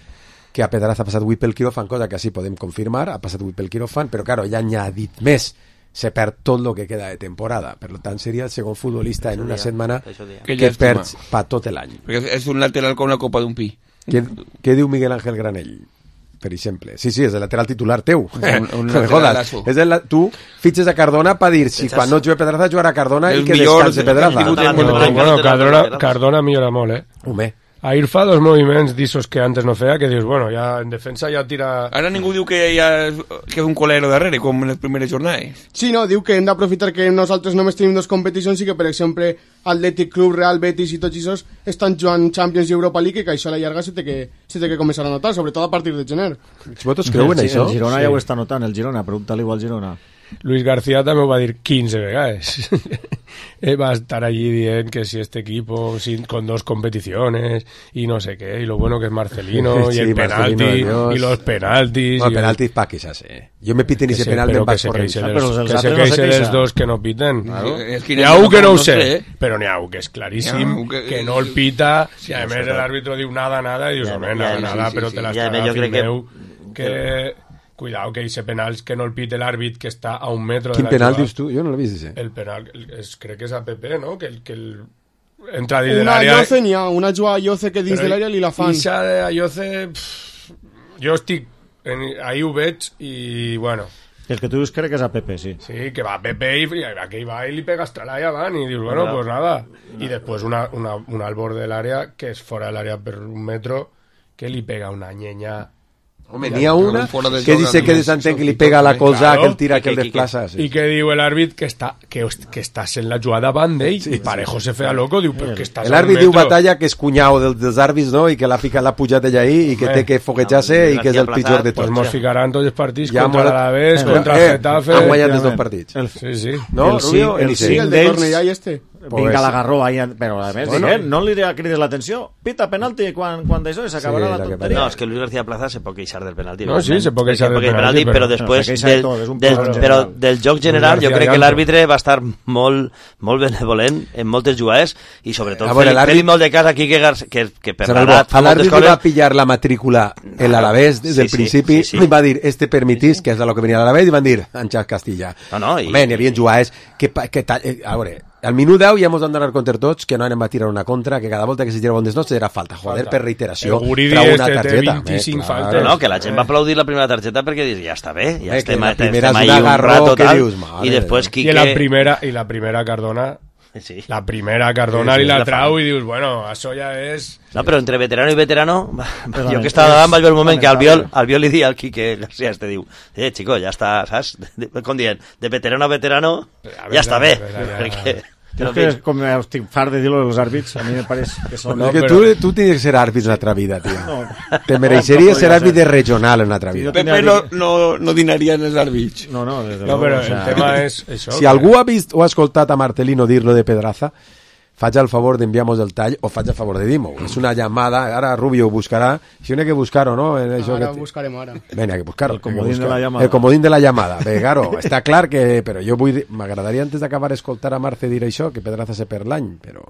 que a Pedraza ha passat avui pel quiròfan, cosa que així podem confirmar, ha passat avui pel quiròfan, però claro, ja n'hi ha dit més, se perd tot el que queda de temporada. Per tant, seria el segon futbolista en una setmana que perds per tot l'any. Perquè és un lateral com la copa d'un pi. Què diu Miguel Ángel Granell, per exemple? Sí, és el lateral titular teu. Tu fitxes a Cardona per dir si quan no juga Pedraza jugarà Cardona i que descanse Pedraza. Bueno, Cardona millora molt, Home. Ahir fa dos moviments d'issos que antes no feia, que dius, bueno, ja en defensa ja tira... Ara ningú diu que és un colero darrere, com en les primeres jornades. Sí, no, diu que hem d'aprofitar que nosaltres només tenim dos competicions i que, per exemple, Atlètic Club, Real Betis i tots aquests estan jugant Champions i Europa League, que això a la llarga se té que començar a notar, sobretot a partir de gener. Vosaltres creuen això? El Girona ja ho està notant, el Girona, pregunta-li igual al Girona. Luis García també ho va dir 15 vegades. Va estar allí dient que si este equipo con dos competiciones y no sé qué, y lo bueno que es Marcelino, y el penalti, y los penaltis... Bueno, penaltis pa queixar-se. Jo me piten ese penalti en baix corrent. Que se queixen els dos que no piten. N'hi ha un que no ho sé, però n'hi ha un que és claríssim, que no el pita, i a més l'àrbitro diu nada, i dius, home, nada, però te l'està fill meu, que... Cuidado, que ese penal que no el pite l'àrbit, que està a un metro de la jugada. Quin penal dius tu? Jo no l'he vist, ese. El penal, crec que és a PP, no? Que entra dins de l'àrea... Una Ayoce n'hi ha, una jugada Ayoce que dins de l'àrea li la fan. Ixa de Ayoce... Jo estic... Ahí ho veig i, bueno... El que tu dius crec que és a PP, sí. Sí, que va a PP i aquell va i li pega estralà i avant i dius, bueno, pues nada. I després una al borde de l'àrea, que és fora de l'àrea per un metro, que li pega una llenya... Home, n'hi ha una que dice que desentén que li pega la colza, que el tira, que el desplaça. I que diu l'àrbit que estàs en la jugada davant d'ell, i Parejo se feia loco, diu, però que estàs a un metro. L'àrbit diu Batalla que és cunyau dels àrbits, no?, i que l'ha pujat ella ahí, i que té que foguejar-se, i que és el pitjor de tots. Pues mos ficaran tots els partits contra l'Alavés, contra el Getafe... Han guanyat els dos partits. Sí. No, Rubio? El de Cornellà i este. Vinga, l'agarró ahí, però a més, no li crides l'atenció, pita penalti quan d'això i s'acabarà la tonteria. No, és que Luis García Plaza se pot queixar del penalti. No, sí, se pot queixar del penalti, però després del joc general jo crec que l'àrbitre va estar molt benevolent en moltes jugades i sobretot fent molt de cas aquí que per l'edat l'àrbitre va pillar la matrícula en l'Alavés des del principi i va dir, este permitís, que és el que venia a l'Alavés, i van dir, Àngel Castilla. Home, n'hi havia jugades que a veure, al minut 10 ja mos han d'anar contra tots que no anem a tirar una contra, que cada volta que se tirava un desnots era falta, per reiteració trau una targeta. 25 faltes. No, que la gent va aplaudir la primera targeta perquè dius, ja està bé, ja estem ahí un rato tal, i després Quique... I la primera Cardona... Sí. La primera Cardona i la trau i dius, bueno, això ja és... No, però entre veterano i veterano, jo que estava davant vaig veure un moment que al Biol li dia al Quique García, te diu, chico, ja està, saps? Com dient, de veterano a veterano, ja està bé, perquè... És que com estic fart de dir-lo dels àrbits, a mi me pareix que són... No, que tu tens que ser àrbit en l'altra vida, tio. No. Te mereixeries ser àrbit de regional en l'altra vida. Pepe no dinaria en els àrbits. No, però el tema és això. Si algú ha vist o ha escoltat a Marcelino dir-lo de Pedraza, faig el favor d'enviar-nos el tall o faig el favor de dir-m'ho. És una llamada, ara Rubio ho buscarà, si no hay que buscar-ho, no? Ara ho buscarem ara. Ven, hay que buscar-ho. El comodín de la llamada. El comodín de la llamada. Bé, claro, està clar que... Però jo m'agradaria antes d'acabar escoltar a Marce dir això, que Pedraza se per l'any, però...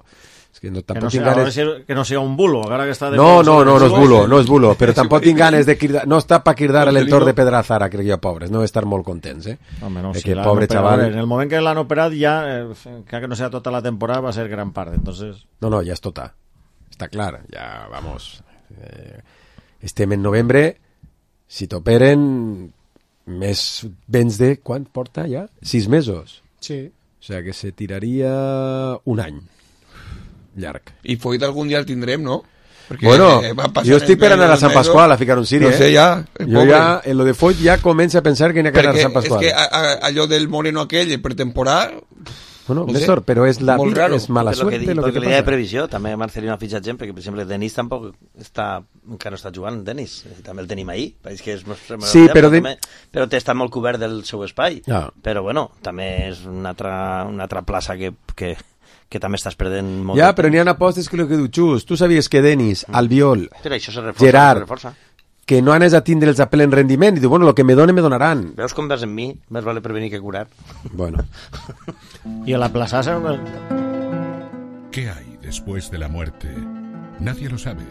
És que tampoc tinc ganes... Que no sigui un bulo, encara que està... No és bulo, però tampoc tinc ganes de cridar... No està per cridar a l'entorn de Pedraza ara, crec jo, pobres, no estar molt contents, Home, no, si pobre chaval... En el moment que l'han operat ja, que no sea tota la temporada, va ser gran part, entonces... No, ja és tota. Està clar, ja, vamos... Estem en novembre, si t'operen, més vens de... Quan porta ja? 6 mesos. Sí. O sigui que se tiraria un any. Llarg. I Foyt algun dia el tindrem, no? Perquè jo estic per anar a Sant Pasqual a ficar un ciri, no sé, ja, jo ja, en lo de Foyt ja comença a pensar que n'hi ha que anar a Sant Pasqual. És que allò del moreno aquell per temporada... Bueno, Néstor, però és la vida, és mala suerte lo que te passa. De previsió, també Marcelino ha fitxat gent, perquè, per exemple, Denis tampoc encara no està jugant, Denis, també el tenim ahí, que és sí, però està molt cobert del seu espai, però bueno, també és una altra plaça que també estàs perdent molt. Ja, però n'hi ha apostes que el que diu Xus, tu sabies que Denis, Albiol, Gerard, que no anes a tindre'ls a ple en rendiment, i diu, bueno, el que me donaran. Veus com vas en mi? Més vale prevenir que curar. Bueno. Y a la plaza... ¿Qué hay después de la muerte? Nadie lo sabe,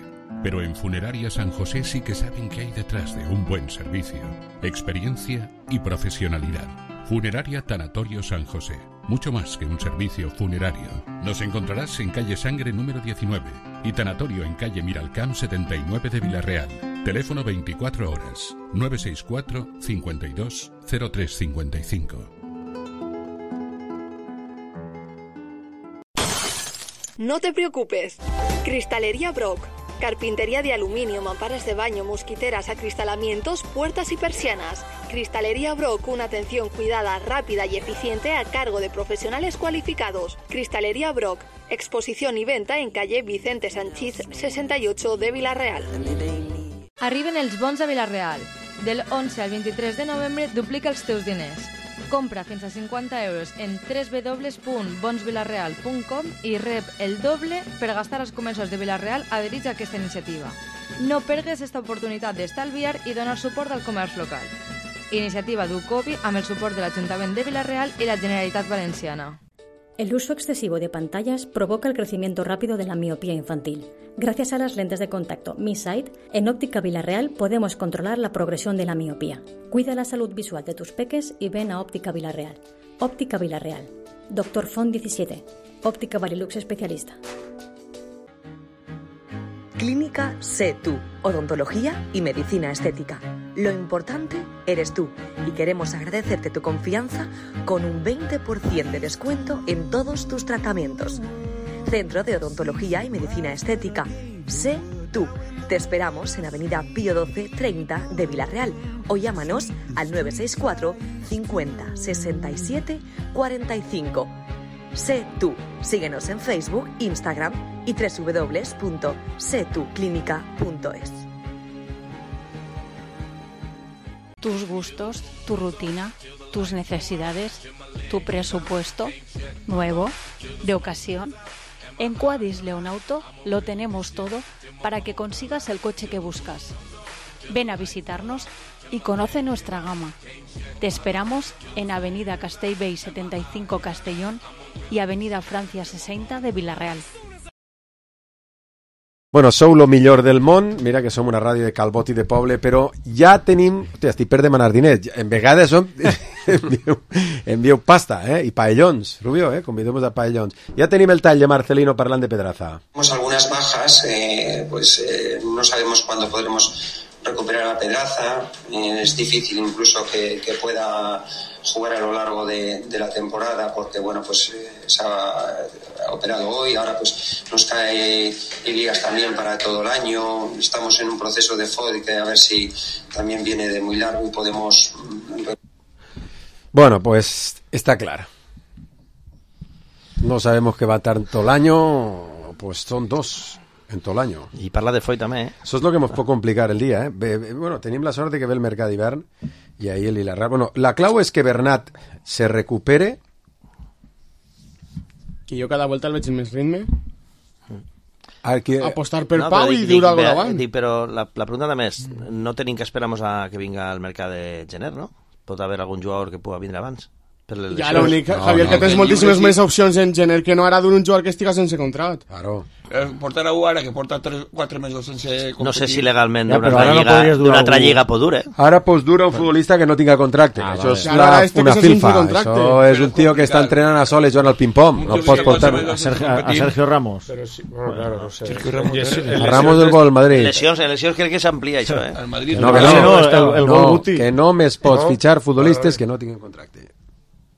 pero en Funeraria San José sí que saben qué hay detrás de un buen servicio, experiencia y profesionalidad. Funeraria Tanatorio San José. Mucho más que un servicio funerario. Nos encontrarás en calle Sangre número 19 y Tanatorio en calle Miralcamp 79 de Villarreal. Teléfono 24 horas 964 52 0355. No te preocupes. Cristalería Brock. Carpintería de aluminio, mamparas de baño, mosquiteras, acristalamientos, puertas y persianas. Cristalería Brock, una atención cuidada, rápida y eficiente a cargo de profesionales cualificados. Cristalería Brock, exposición y venta en calle Vicente Sanchís 68 de Villarreal. Arriben els bons a Villarreal. Del 11 al 23 de novembre duplica els teus diners. Compra fins a 50 euros en www.bonsvillarreal.com i rep el doble per gastar als comerços de Villarreal adherits a aquesta iniciativa. No pergues esta oportunitat d'estalviar i donar suport al comerç local. Iniciativa d'UCOBI amb el suport de l'Ajuntament de Villarreal y la Generalitat Valenciana. El uso excesivo de pantallas provoca el crecimiento rápido de la miopía infantil. Gracias a las lentes de contacto Mi Sight, en Óptica Villarreal podemos controlar la progresión de la miopía. Cuida la salud visual de tus peques y ven a Óptica Villarreal. Óptica Villarreal. Dr. Font 17. Óptica Varilux especialista. Clínica Sé Tú, odontología y medicina estética. Lo importante eres tú y queremos agradecerte tu confianza con un 20% de descuento en todos tus tratamientos. Centro de Odontología y Medicina Estética. Sé Tú. Te esperamos en Avenida Pío XII 30 de Villarreal o llámanos al 964 50 67 45. Sé Tú. Síguenos en Facebook, Instagram y www.setuclinica.es. Tus gustos, tu rutina, tus necesidades, tu presupuesto, nuevo, de ocasión. En Quadis León Auto lo tenemos todo para que consigas el coche que buscas. Ven a visitarnos y conoce nuestra gama. Te esperamos en Avenida Castellbell 75 Castellón y Avenida Francia 60 de Villarreal. Bueno, sou lo millor del món, mira que som una ràdio de Calbot i de poble, però ja tenim... Hòstia, estic per demanar diners. En vegades envieu pasta, i paellons, Rubio, convidemos a paellons. Ja tenim el tall de Marcelino parlant de Pedraza. Tenemos algunas bajas, no sabemos cuándo podremos recuperar a Pedraza, es difícil incluso que pueda jugar a lo largo de la temporada porque bueno pues se ha operado hoy, ahora pues nos cae Elías también para todo el año, estamos en un proceso de FOD que a ver si también viene de muy largo y podemos... Bueno, pues está claro. No sabemos qué va a estar todo el año, pues son dos en todo el año. I parla de Foy també, Eso es lo que nos puede complicar el día, Bueno, tenim la sort de que ve el mercat d'hivern y ahí el Hilarra. Bueno, la clau es que Bernat se recupere. Que jo cada volta el veig en més ritme. Que... Apostar per Pau i dur algo davant. Però la pregunta també és, no tenim que esperamos a que vinga el mercat de gener, no? Pot haver algun jugador que pugui vindre abans. Ja, l'únic, Javier, que tens moltíssimes més opcions en gener que no ara d'un jugador que estiga sense contrat. Claro. Portar a ara, que porta 3-4 mesos sense competir. No sé si legalment d'una altra lliga pot dur, Ara pues dura un futbolista que no tinga contracte. Això és una filfa. Això és un tío que està entrenant a soles jugant al ping-pong. No pots portar a Sergio Ramos. Pero sí, bueno, claro, no sé. A Ramos del gol Madrid. Lesions crec que s'amplia això, que no més pots fitxar futbolistes que no tinguin contracte.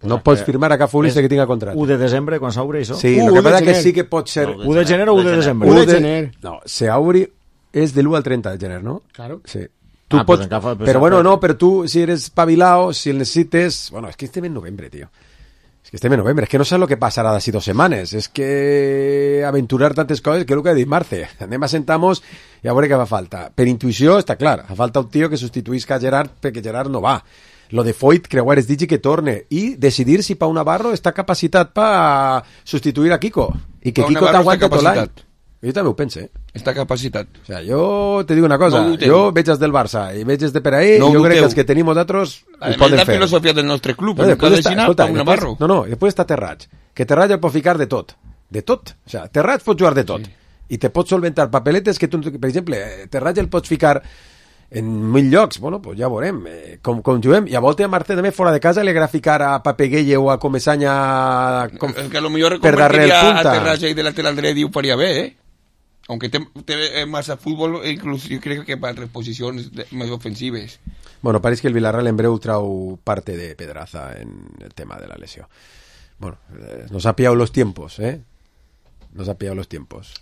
No pots firmar a cap futbolista que tinga contracte. 1 de desembre, quan s'obri això? Sí, el que passa que sí que pot ser... 1 de gener o 1 de desembre? 1 de gener. No, s'obri és de l'1 al 30 de gener, ¿no? Claro. Sí. Tu pots... Però bueno, no, però tu, si eres pavilao, si el necessites... Bueno, és que estem en novembre, tio. És que estem en novembre. És que no saps el que passarà d'ací 2 setmanes. És que aventurar tantes coses que és el que ha dit Marce. Anem a sentar-nos i a veure què fa falta. Per intuïció està clar. Fa falta un tio que substituïsca a Gerard perquè Gerard no va. Lo de Foyt, creuar es digi que torne i decidir si Pau Navarro està capacitat per substituir a Kiko i que Kiko t'aguanta tot l'any. Jo també ho pense. Està capacitat. O sea, jo te digo una cosa, jo veig els del Barça i veig els de per ahí, jo crec que els que tenim nosaltres ho poden fer. La filosofia del nostre club, després està Terrats, que Terrats el pot ficar de tot. De tot. O sea, Terrats pot jugar de tot. I te pots solventar papeletes que tu, per exemple, Terrats el pots ficar en 1000 llocs, bueno, pues ja veurem com juguem, i a volta a Marce també fora de casa li agrada ficar a Papeguelle o a Comesaña que a lo millor per darrere el punta. A Terrassa i de lateral dret ho faria bé, aunque té massa futbol, inclús jo crec que per reposicions més ofensives. Bueno, pareix que el Villarreal en breu trau parte de Pedraza en el tema de la lesió. Bueno, nos ha pillado los tiempos, nos ha pillado los tiempos.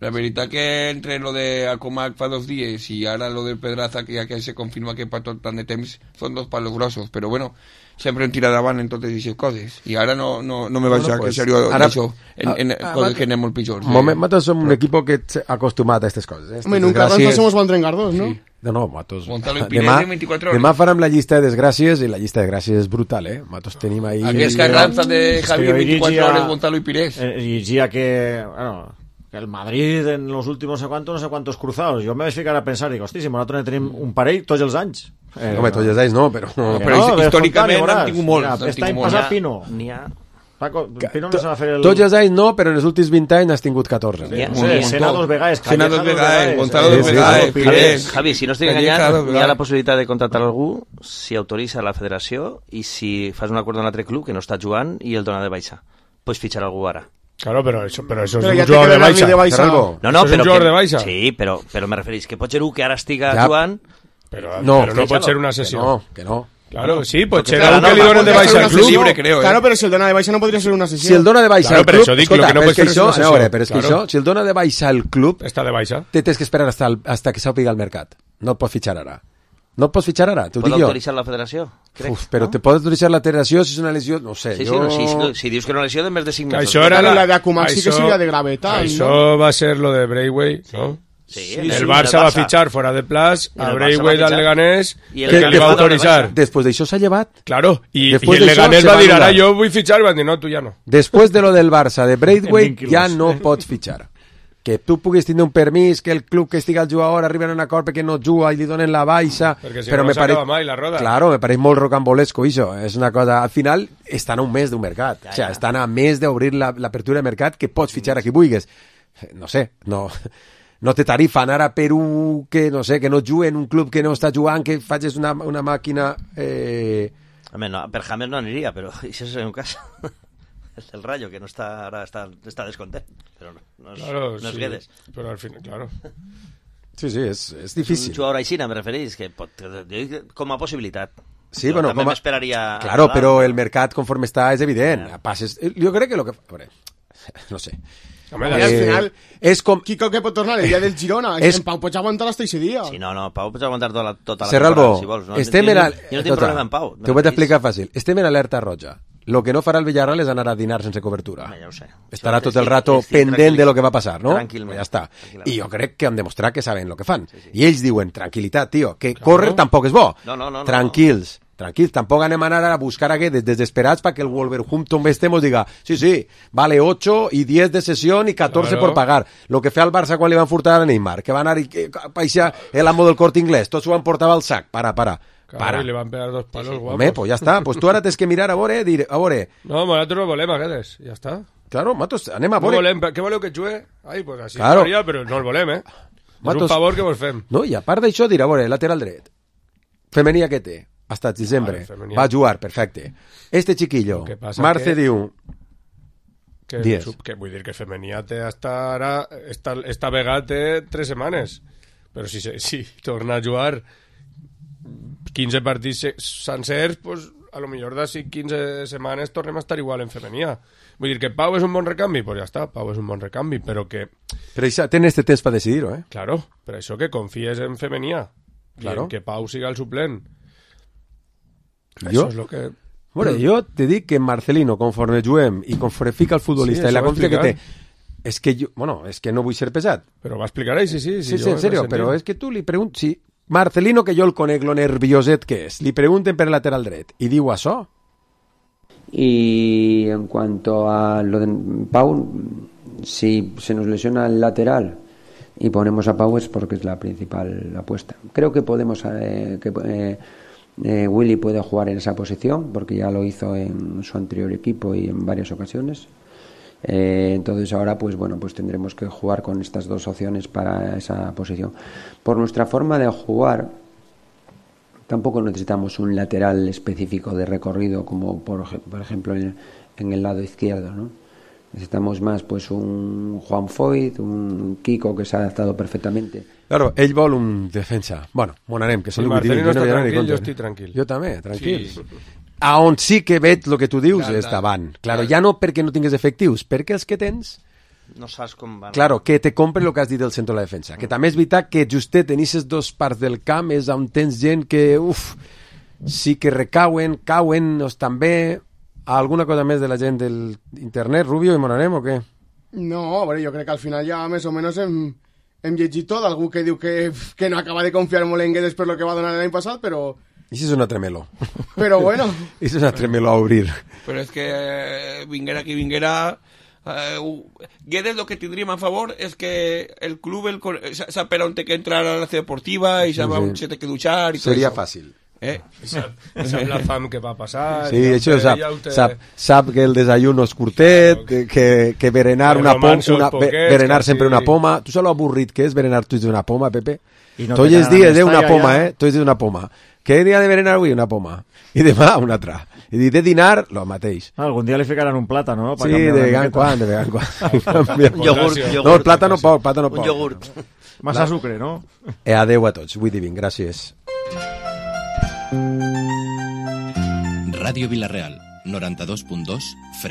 La veritat que entre lo de Acomac fa 2 dies y ahora lo de Pedraza, que ya que se confirma que para tot tant de temps son 2 palos grossos, pero bueno, sempre en tira davant en totes aquestes coses, i ara no me vaig a que serio d'això en coses que anem molt pitjors. Matos som un equip que acostumat a aquestes coses. Home, nunca Carranza somos Bandrengardos, ¿no? Sí. No, Matos. Demà farem la llista de desgràcies, i la llista de desgràcies és brutal, Matos tenim ahí... Aquest Carranza de Javier 24 horas, Gonzalo y Pires. Y ya que... Bueno, el Madrid en los últimos no sé cuántos cruzados, jo me vaig ficar a pensar, dic, hosti, si nosaltres tenim un parell tots els anys. Home, tots els anys no, però històricament n'han tingut molts. Aquest any passat Pino. Paco, Pino no se va fer el... Tots els anys no, però en els últims 20 anys n'has tingut 14. Sena 2 vegades, Gonzalo 2 vegades. Javi, si no estic enganyat, hi ha la possibilitat de contractar algú si autoritza la federació i si fas un acord amb un altre club que no està jugant i el dona de baixa. Pots fitxar algú ara. Claro, pero eso es un jugador de baixa. No, pero un jugador de baixa. Sí, pero me referís que pot ser un que ara estiga jugant... Pero no pot ser una sessió. Que no. Claro, sí, pot ser un que li donen de baixa al club. Claro, pero si el dona de baixa no podria ser una sessió. Si el dona de baixa al club... Escolta, però és que això, si el dona de baixa al club... Està de baixa. Tens que esperar hasta que s'apiga al mercat. No el pots fitxar ara. No et pots fitxar ara, t'ho dic jo. Pot autoritzar la federació? Però te pot autoritzar la federació si és una lesió, no sé. Si dius que era una lesió de més de 5 mesos. Això era la d'Acumac, sí que seria de gravetat. Això va ser lo de Braithwaite, ¿no? Sí, el Barça va fitxar fora de plaç a Braithwaite al Leganés, que li va autoritzar. Després d'això s'ha llevat. Claro, i el Leganés va dir, ara jo vull fitxar, i van dir, no, tu ja no. Després de lo del Barça, de Braithwaite, ja no pots fitxar. Que tu puguis tindre un permís, que el club que estigui al jugador arriba a un acord perquè no juga i li donen la baixa, si però no s'acaba mai la roda. Claro, me pareix molt rocambolesco això, és una cosa, al final estan a un mes d'un mercat, o sea, estan a mes d'obrir l'apertura de mercat que pots fitxar a qui vulguis, no sé, no te tarifan ara per un que no sé, que no jugui en un club que no està jugant, que facis una màquina Home, no, per James no aniria, però això és un cas. El Rayo, que no está ahora está descontent, pero no es Guedes. Pero al final, claro. Sí, es difícil. Un jugador aixina, me referís, que com a possibilitat. Sí, bueno, també m'esperaria... Claro, però el mercat conforme està és evident. Passes, jo crec que lo que... No sé. Home, al final és com... Quico que pot tornar el dia del Girona. En Pau pots aguantar hasta ese dia. Sí, no, Pau pots aguantar tota la temporada, si vols. Estem en... Jo no tinc problema amb Pau. T'ho vaig explicar fàcil. Estem en alerta roja. Lo que no farà el Villarreal és anar a dinar sense cobertura. Ja ho sé. Estarà tot el rato pendent de lo que va passar, no? Tranquil·lament. Ja està. I jo crec que han demostrat que saben lo que fan. I ells diuen, tranquil·litat, tio, que córrer tampoc és bo. No. Tranquils, tampoc anem a anar a buscar aquests desesperats perquè el Wolverhampton mos diga, sí, vale 8 y 10 de sesión y 14 por pagar. Lo que fe al Barça quan li van furtar a Neymar, que va anar i paixar el amo del Corte Inglés, tots ho han portat al sac. Para. Claro, y le van a pegar 2 palos guapos. Home, pues ya está. Pues tú ahora tienes que mirar a veure. No, nosaltres no volem aquests, ja està. Claro, Matos, anem a veure. No volem, què voleu que jugue? Ai, pues així claro. Faria, però no el volem, Matos, és un favor que vos fem. No, i a part d'això, dir, a veure, lateral dret. Femení que té, hasta diciembre. Va a jugar, perfecte. Este chiquillo, Marce diu... Que vull dir que Femenia té hasta ara, esta vegada té 3 setmanes. Però si torna a jugar 15 partits sencers, pues, a lo millor d'ací 15 setmanes tornem a estar igual en Femenia. Vull dir que Pau és un bon recanvi, pues ja està, Pau és un bon recanvi, però que... Però això, tens este temps per decidir-ho, Claro, per això que confies en Femenia. Claro. Que Pau siga el suplent. Això és lo que... Bueno, jo te dic que Marcelino, conforme juguem i conforme fica el futbolista i la confiança que té, és que no vull ser pesat. Però va explicar sí. Sí, en serio, però és que tu li preguntes... Si Marcelino, que jo el conec, lo nervioset que és, li pregunten per lateral dret i diu això. Y en cuanto a lo de Pau, si se nos lesiona el lateral y ponemos a Pau es porque es la principal apuesta. Creo que podemos Willy puede jugar en esa posición porque ya lo hizo en su anterior equipo y en varias ocasiones. Entonces ahora pues tendremos que jugar con estas dos opciones para esa posición. Por nuestra forma de jugar tampoco necesitamos un lateral específico de recorrido como por ejemplo en el lado izquierdo, ¿no? Necesitamos más pues un Juan Foyt, un Kiko que se ha adaptado perfectamente. Claro, ell vol un defensa. Bueno, monarem, que si Marcelino està tranquil, jo estic tranquil. Jo també, tranquil. Sí. A on sí que veig el que tu dius és davant. Claro, ja no perquè no tingues efectius, perquè els que tens... No saps com van. Claro, que te compren el que has dit del centre de la defensa. Que també és veritat que justet en aquestes dues parts del camp és on tens gent que, sí que recauen, cauen, o estan bé... ¿Alguna cosa més de la gent del internet, Rubio, i monarem o què? No, a veure, jo crec que al final ja més o menys hem llegit tot, algú que diu que no acaba de confiar molt en Guedes per lo que va donar l'any passat, però... Això és una tremelo. Però bueno. Això és una tremelo a obrir. Però és que vinguera qui vinguera... Guedes lo que tindríem a favor és que el club sap per on té que entrar a la ciutat deportiva i sap on se té que duchar i tot Seria això. Fàcil. Sap la fam que va passar. Sí, això sap que el desayuno és curtet, que berenar berenar sempre una poma. Tu saps lo avorrit que és berenar tots una poma, Pepe? Tots els dies una poma, tots els dies una poma. Què dia de berenar avui? Una poma. I demà una altra. I de dinar, lo mateix. Algun dia li ficaran un plàtano, no? Sí, de vegant quan. Un iogurt. No, el plàtano poc. Un iogurt. Massa sucre, no? Adeu a tots. Avui divin. Gràcies. Ràdio Vila-real, 92.2